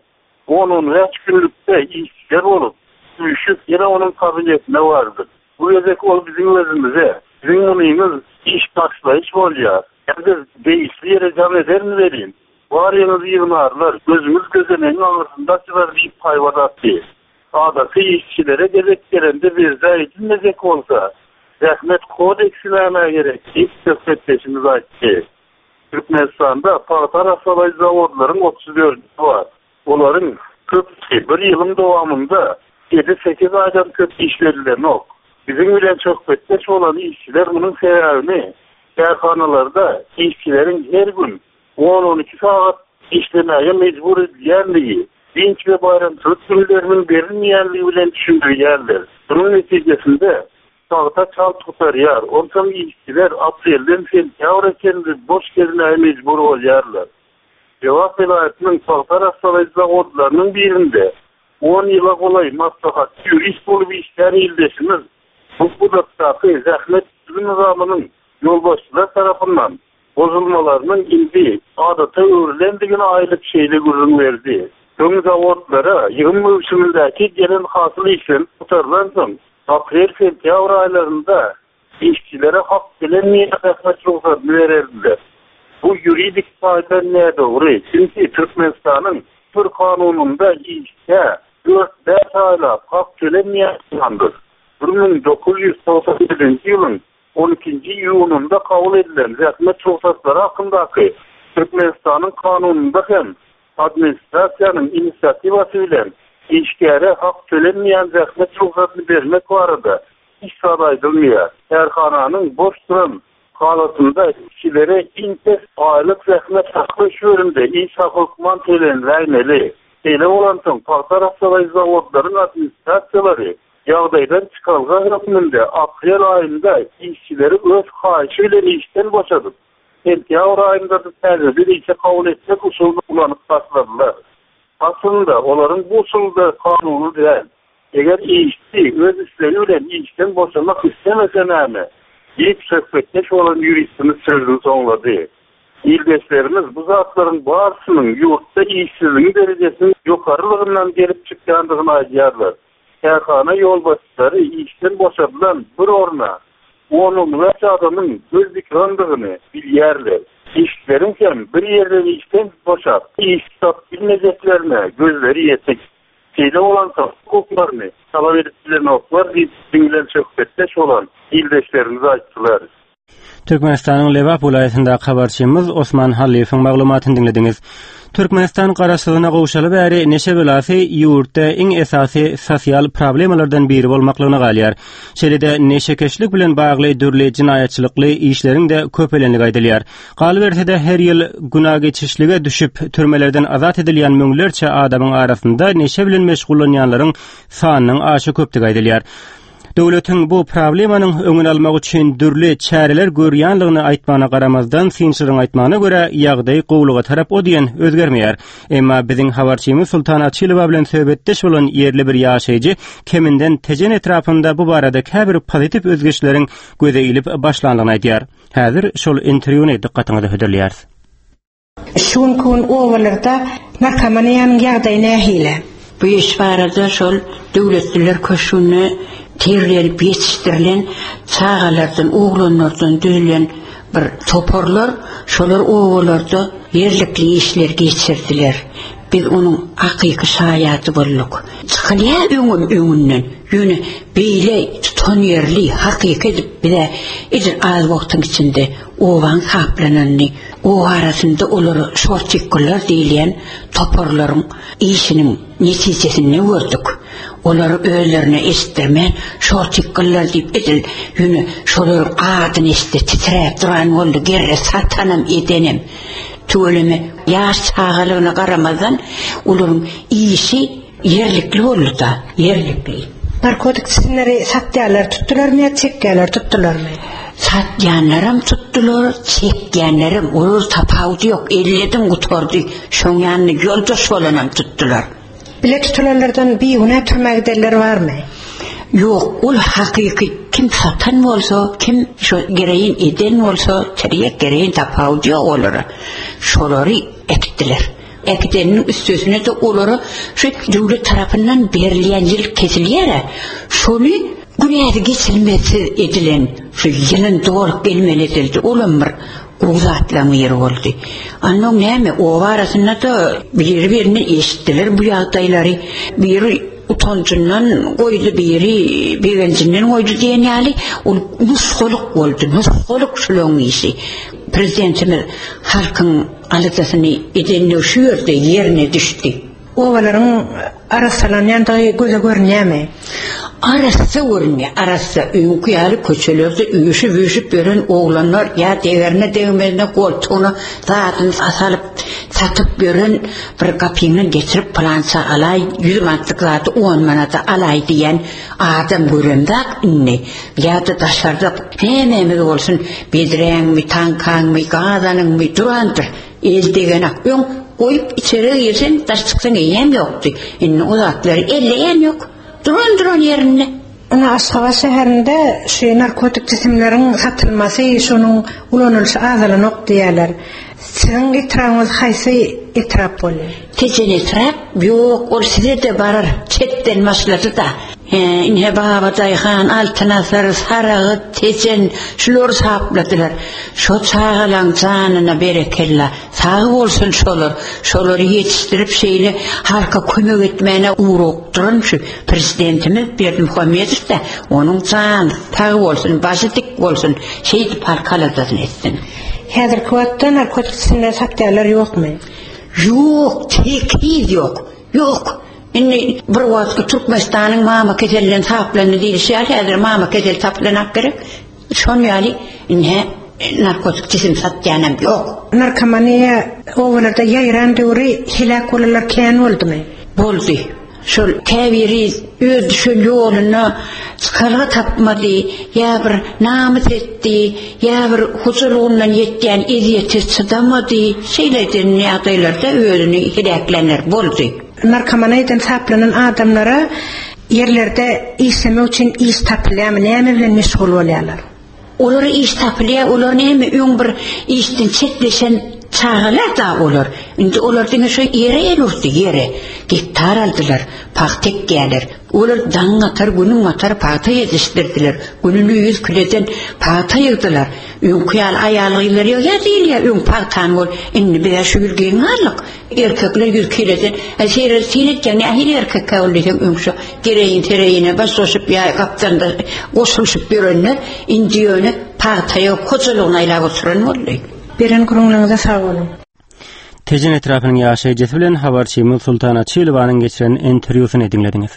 On-on bäş günlükde işçiler bolup, üýşüp, ýene onuň kabinetine bardyk. Bu gezek ol biziň özümize, Siziň munyňyz iş taşlaýyş bolýar. Häzir degişli ýere jaň ederin welin, baryňyzy ýygnarlar, gözüňiz gözenegiň aňyrsynda açylar diýip haýbat atdy. Adaty işçilere gezek gelende berjaý edilmejek bolsa, zähmet kodeksi nämä gerek diýip, söhbetdeşimiz aýtdy. Türkmenistanda pagta arassalaýjy zawodlaryň otuz dördüsi bar. Olaryň köpüsi bir ýylyň dowamynda ýedi-sekiz aýdan köp işledilenok. Biziň bilen söhbetdeş bolan işçiler munuň sebäbini kärhanalarda işçileriň her gün on-on iki sagat işlemäge mejbur edilýänligi, dynç we baýramçylyk günleriniň berilmeýänligi bilen düşündirýärler. Munuň netijesinde, pagta çalt gutarýar, onsoň işçiler aprelden sentýabra çenli boş gezmäge mejbur bolýarlar. Lebap welaýatynyň pagta arassalaýjy zawodlarynyň birinde on ýyla golaý maslahatçy ýurist bolup işlän ildeşimiz bu pudakdaky zähmet düzgün-nyzamynyň ýolbaşçylar tarapyndan bozulmalarynyň indi adata öwrülendigini aýdyp şeýle gürrüň berdi, Öň zawodlara ýygym möwsümindäki gelen hasyl işlenip gutarylansoň, aprel-sentýabr aýlarynda işçilere hak tölenmeýän zähmet rugsadyny bererdiler. Bu ýuridik taýdan nädogry, çünki Türkmenistanyň bir kanunynda işçä dört-bäş aýlap hak tölenmeýän bolmandyr. 1997-nji ýylyň On ikinji iýunynda kabul edilen Zähmet rugsatlary hakyndaky Türkmenistanyň Kanunynda hem administrasiýanyň inisiatiwasy bilen işgäre hak tölenmeýän zähmet rugsadyny bermek barada hiç zat aýdylmaýar. Kärhananyň boş duran halatynda işçilere iň pes aýlyk zähmet haky möçberinde iş haky hökman töleniläýmeli. Şeýle bolansoň, pagta arassalaýjy zawodlaryň administrasiýalary Ýagdaýdan çykalga hökmünde aprel aýynda işçileri öz haýyşy bilen işden boşadyp, sentýabr aýynda-da täzeden işe kabul etmek usulyny ulanyp başladylar. Aslynda, olaryň bu usuly-da kanuny däl. Eger işçi öz islegi bilen işden boşamak islemese näme? diýip, söhbetdeş bolan ýuristimiz sözüni soňlady. Ildeşlerimiz bu zatlaryň barysynyň ýurtda işsizligiň derejesiniň ýokarylygyndan gelip çykýandygyny aýdýarlar. Kärhana ýolbaşçylary işden boşadylan bir orna on-on bäş adamyň göz dikandygyny bilýärler. Işçileriň hem bir ýerden işden boşap, iş tapyp bilmejeklerine gözleri ýetik. Şeýle bolansoň, hukuklaryny talap edip bilenoklar diýip, biziň bilen söhbetdeş bolan ildeşlerimiz aýtdylar. Türkmenistanyň Lebap welaýatyndaky habarçymyz Osman Hallyýewiň maglumatyny diňlediňiz. Türkmenistan garaşsyzlygyna gowşaly bäri neşe belasy ýurtda iň esasy sosial problemalardan biri bolmaklygyna galýar. Şeýle-de neşekeşlik bilen bagly dürli jenaýatçylykly işleriň-de köpelenligi aýdylýar. Galyberse-de her ýyl günageçişlige düşüp, türmelerden azat edilýän müňlerçe adamyň arasynda neşe bilen meşgullanýanlaryň sanynyň aşa köpdügi aýdylýar. Döwletiň bu problemanyň öňüni almak üçin dürli çäreler görýänligini aýtmagyna garamazdan, synçylaryň aýtmagyna görä, ýagdaý gowulyga tarap o diýen özgermeýär. Emma biziň habarçymyz Sultan Açylowa bilen söhbetdeş bolan ýerli bir ýaşaýjy keminden Tejen etrapynda bu barada käbir pozitiw özgerişleriň göze ilip başlandygyny aýdýar. Häzir şol interwýuny dykgatyňyza hödürleýäris. Şu günki gün obalarda narkomaniýanyň ýagdaýy nähili? Bu iş barada şol Döwletliler köşgünde terbiýelenip ýetişdirilen çagalardan, oglanlardan düzülen bir toparlar, şolar obalarda ýerlikli işleri geçirdiler. Biz onuň hakyky şaýady bolduk. Çykylýar öňem öňünden, ýöne beýle tutanýerli, hakyky edip bize edil az wagtyň içinde obaň saplananyny, oba arasynda olara şortikgullar diýilýän toparlaryň işiniň netijesinde gördük. Olary özlerine eşitdirmän şortikgullar diýip edil ýöne şolaryň adyny eşitse titräp duran boldy gerre satanam edenem. Tüweleme ýaş çagalygyna garamazdan olaryň işi Ýerlikli boldy-da, ýerlikli. Narkotik jisimleri satýanlary tutdularmy ýa çekýänleri tutdularmy? Satýanlaram tutdular, çekýänlerem, olar tapawudy ýok, elledim gutardy, şoň ýanynda ýoldaş bolanam tutdular. Bile tutulanlardan bigünä türmä gidenler barmy? Ýok, ol hakyky kim satan bolsa, kim şo gereýin eden bolsa, tirýek gereýin tapawudy ýok olara. Şolary äkitdiler. Äkideniniň üstesine-de olara şu döwlet tarapyndan berilýän ýyl kesilýär-ä, şony günäsi geçilmezsiz edilen şu ýylyn dolup gelmeli edildi, olam bir gowy zatlaryň biri boldy. Onnoň näme, oba arasynda-da biri-birinden eşitdiler bu ýagdaýlary, biri utanjyndan goýdy, biri begenjinden goýdy diýen ýaly, ol nusgalyk boldy, nusgalyk şularyň işi. Prezidentimiz halkyň Aladasyny edenligi şu ýerde ýerine düşdi. Obalaryň arassalanýandygy göze görünýärmi? Arassa görünýär, arassa. Öňki ýaly köçelerde üýşüp-üýşüp ýören oglanlar ýa degerine-degmezine goltugyna zadyny salyp, satyp ýören bir gapyňdan getirip pylança alaý, ýüz manatlyk zady on manada alaý diýen adam göremzak indi. Ýa-da daşarda nämämiz bolsun, bedräňmi, taňkaňmy, gazanyňmy durandyr, el degenak. Öň. Goýup içeri girseň, daş çyksaň eýýäm ýokdy. Indi o zatlary elleýän ýok. Duran-duran ýerinde. Ine Aşgabat şäherinde şu narkotik jisimleriň satylmasy, şonuň ulanylyşy azalanok diýýärler. Siziň etrabyňyz haýsy etrap bolýar? Tejen etrap? Ýok, ol size-de barar. Çetden başlady-da. Hä, ine Babadaýhan, Altyn asyr, Saragyt, Tejen, şulary sapladylar. Şo çagalaň janyna berekella. Sag bolsun şolar. Şolary ýetişdirip şeýle halka kömek etmäne ugrukdyran şu Prezidentimiz Berdimuhamedow-da onuň jany sag bolsun, başy dik bolsun, şeýdip halk aladasyny etsin. Häzirki wagtda narkotik jisimleri satýanlar ýokmy? Ýok, tekiz ýok. Ýok. Indi bir wagtky Türkmenistanyň mama keselinden saplandy diýlişi ýaly häzir mama keseli saplanak gerek. Şon ýaly indi narkotik jisim satýanam ýok. Narkomaniýa obalarda ýaýran döwri heläk bolanlar kän boldumy? Boldy. Şol käbiri öz düşen ýoluna çykalga tapmady, ýa bir namys etdi, ýa bir hojalygyndan ýetýän ezýete çydamady. Şeýle eden ýagdaýlarda özüni heläklänler boldy. Narkomaniýadan saplanan adamlara Ýerlerde işlemek üçin iş tapylýarmy, näme bilen meşgul bolýarlar? Olara iş tapylýar, olar näme öň bir işden çetleşen çagalar-da olar. Indi olar diňe şo ýere el urdy, ýere. Gektar aldylar, pagta ekýärler. Olar daňyň atar, günüň batar pagta ýetişdirdiler. Gününe ýüz kileden pagta ýygdylar. Öňki ýaly aýal-gyzlar ýygýar diýilýär, öň pagtany bol. Indi biz-ä şu ýyl geň galdyk. Erkekler ýüz kileden, Äý, seýredi, syn etýäň, nähili erkekkä ol diýseň, öň şo gereýin-sereýine baş goşup ýa gapdalynda goşulyşyp ýörenler, indi ýöne pagta ýok, hojalygyny aýlap oturan boldy. Beren gürrüňleriňize sag boluň. Tejen etrapynyň ýaşaýjysy bilen habarçymyz Sultan Açylowanyň geçiren interwýusyny diňlediňiz.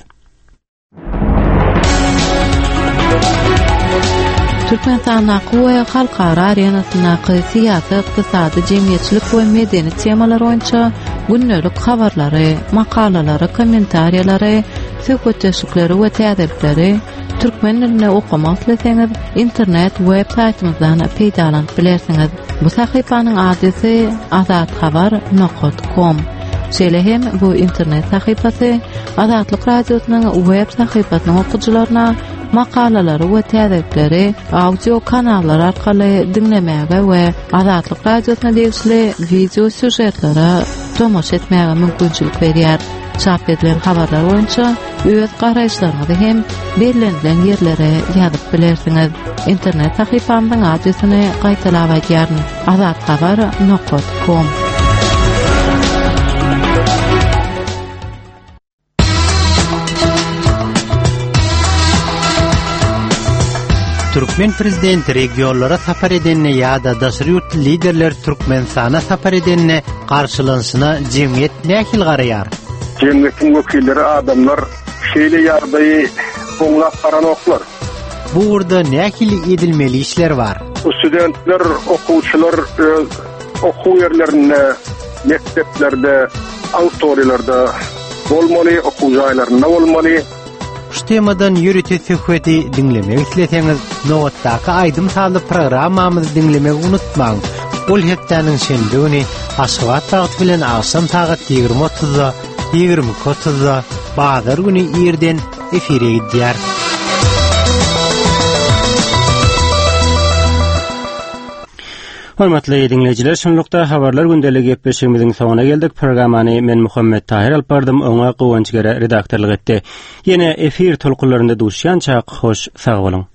Türkmenistandaky we halkara arenasyndaky syýasy, ykdysady, jemgyýetçilik we medeni temalar boýunça gündelik habarlary, makalalary, kommentariýalary, söhbetdeşlikleri we täzelikleri türkmen dilinde okamak isleseňiz, internet web saýtymyzdan peýdalanyp bilersiňiz. Bu sahypanyň adresi azathabar nokat kom. Şeýle hem bu internet sahypasy Azatlyk Radiosynyň web sahypasynyň okyjylaryna makalalary we täzelikleri audio kanallar arkaly diňlemäge we Azatlyk Radiosyna degişli wideo sýužetlere tomaşa etmäge mümkinçilik berýär. Çap edilen habarlar boýunça öz garaýyşlaryňyzy hem bellenilen ýerlere ýazyp bilersiňiz. Internet sahypamyzyň adresini gaýtalap aýdýaryn, azathabar nokat kom. Türkmen prezidenti regionlara sapar edende ýa-da daşary ýurtly liderler Türkmenistana sapar edende garşylanyşyna jemgyýet nähili garaýar? Jemgyýetiň wekilleri adamlar şeýle ýagdaýy oňlap baranoklar. Bu ugurda nähili edilmeli işler bar? Bu studentler, okuwçylar öz okuw ýerlerinde, mekdeplerde, auditoriýalarda bolmaly, okuw jaýlarynda bolmaly. Şu temadan ýörite söhbeti diňlemek isleseňiz, nobatdaky aýdym-sazly programmamyzy diňlemegi unutmaň. Ol hepdäniň şenbe güni Aşgabat wagty bilen agşam sagat 20 otuzda, 22 otuzda, bazar güni irden efire gidýär. Hormatly diňleýjiler, şunlukda Habarlar gündeligi gepleşigimiziň soňuna geldik. Programmany men Muhammet Tahyr alyp bardym, oňa Guwanç Gere redaktorlyk etdi. Ýene efir tolkunlarynda duşýançak, hoş sag boluň.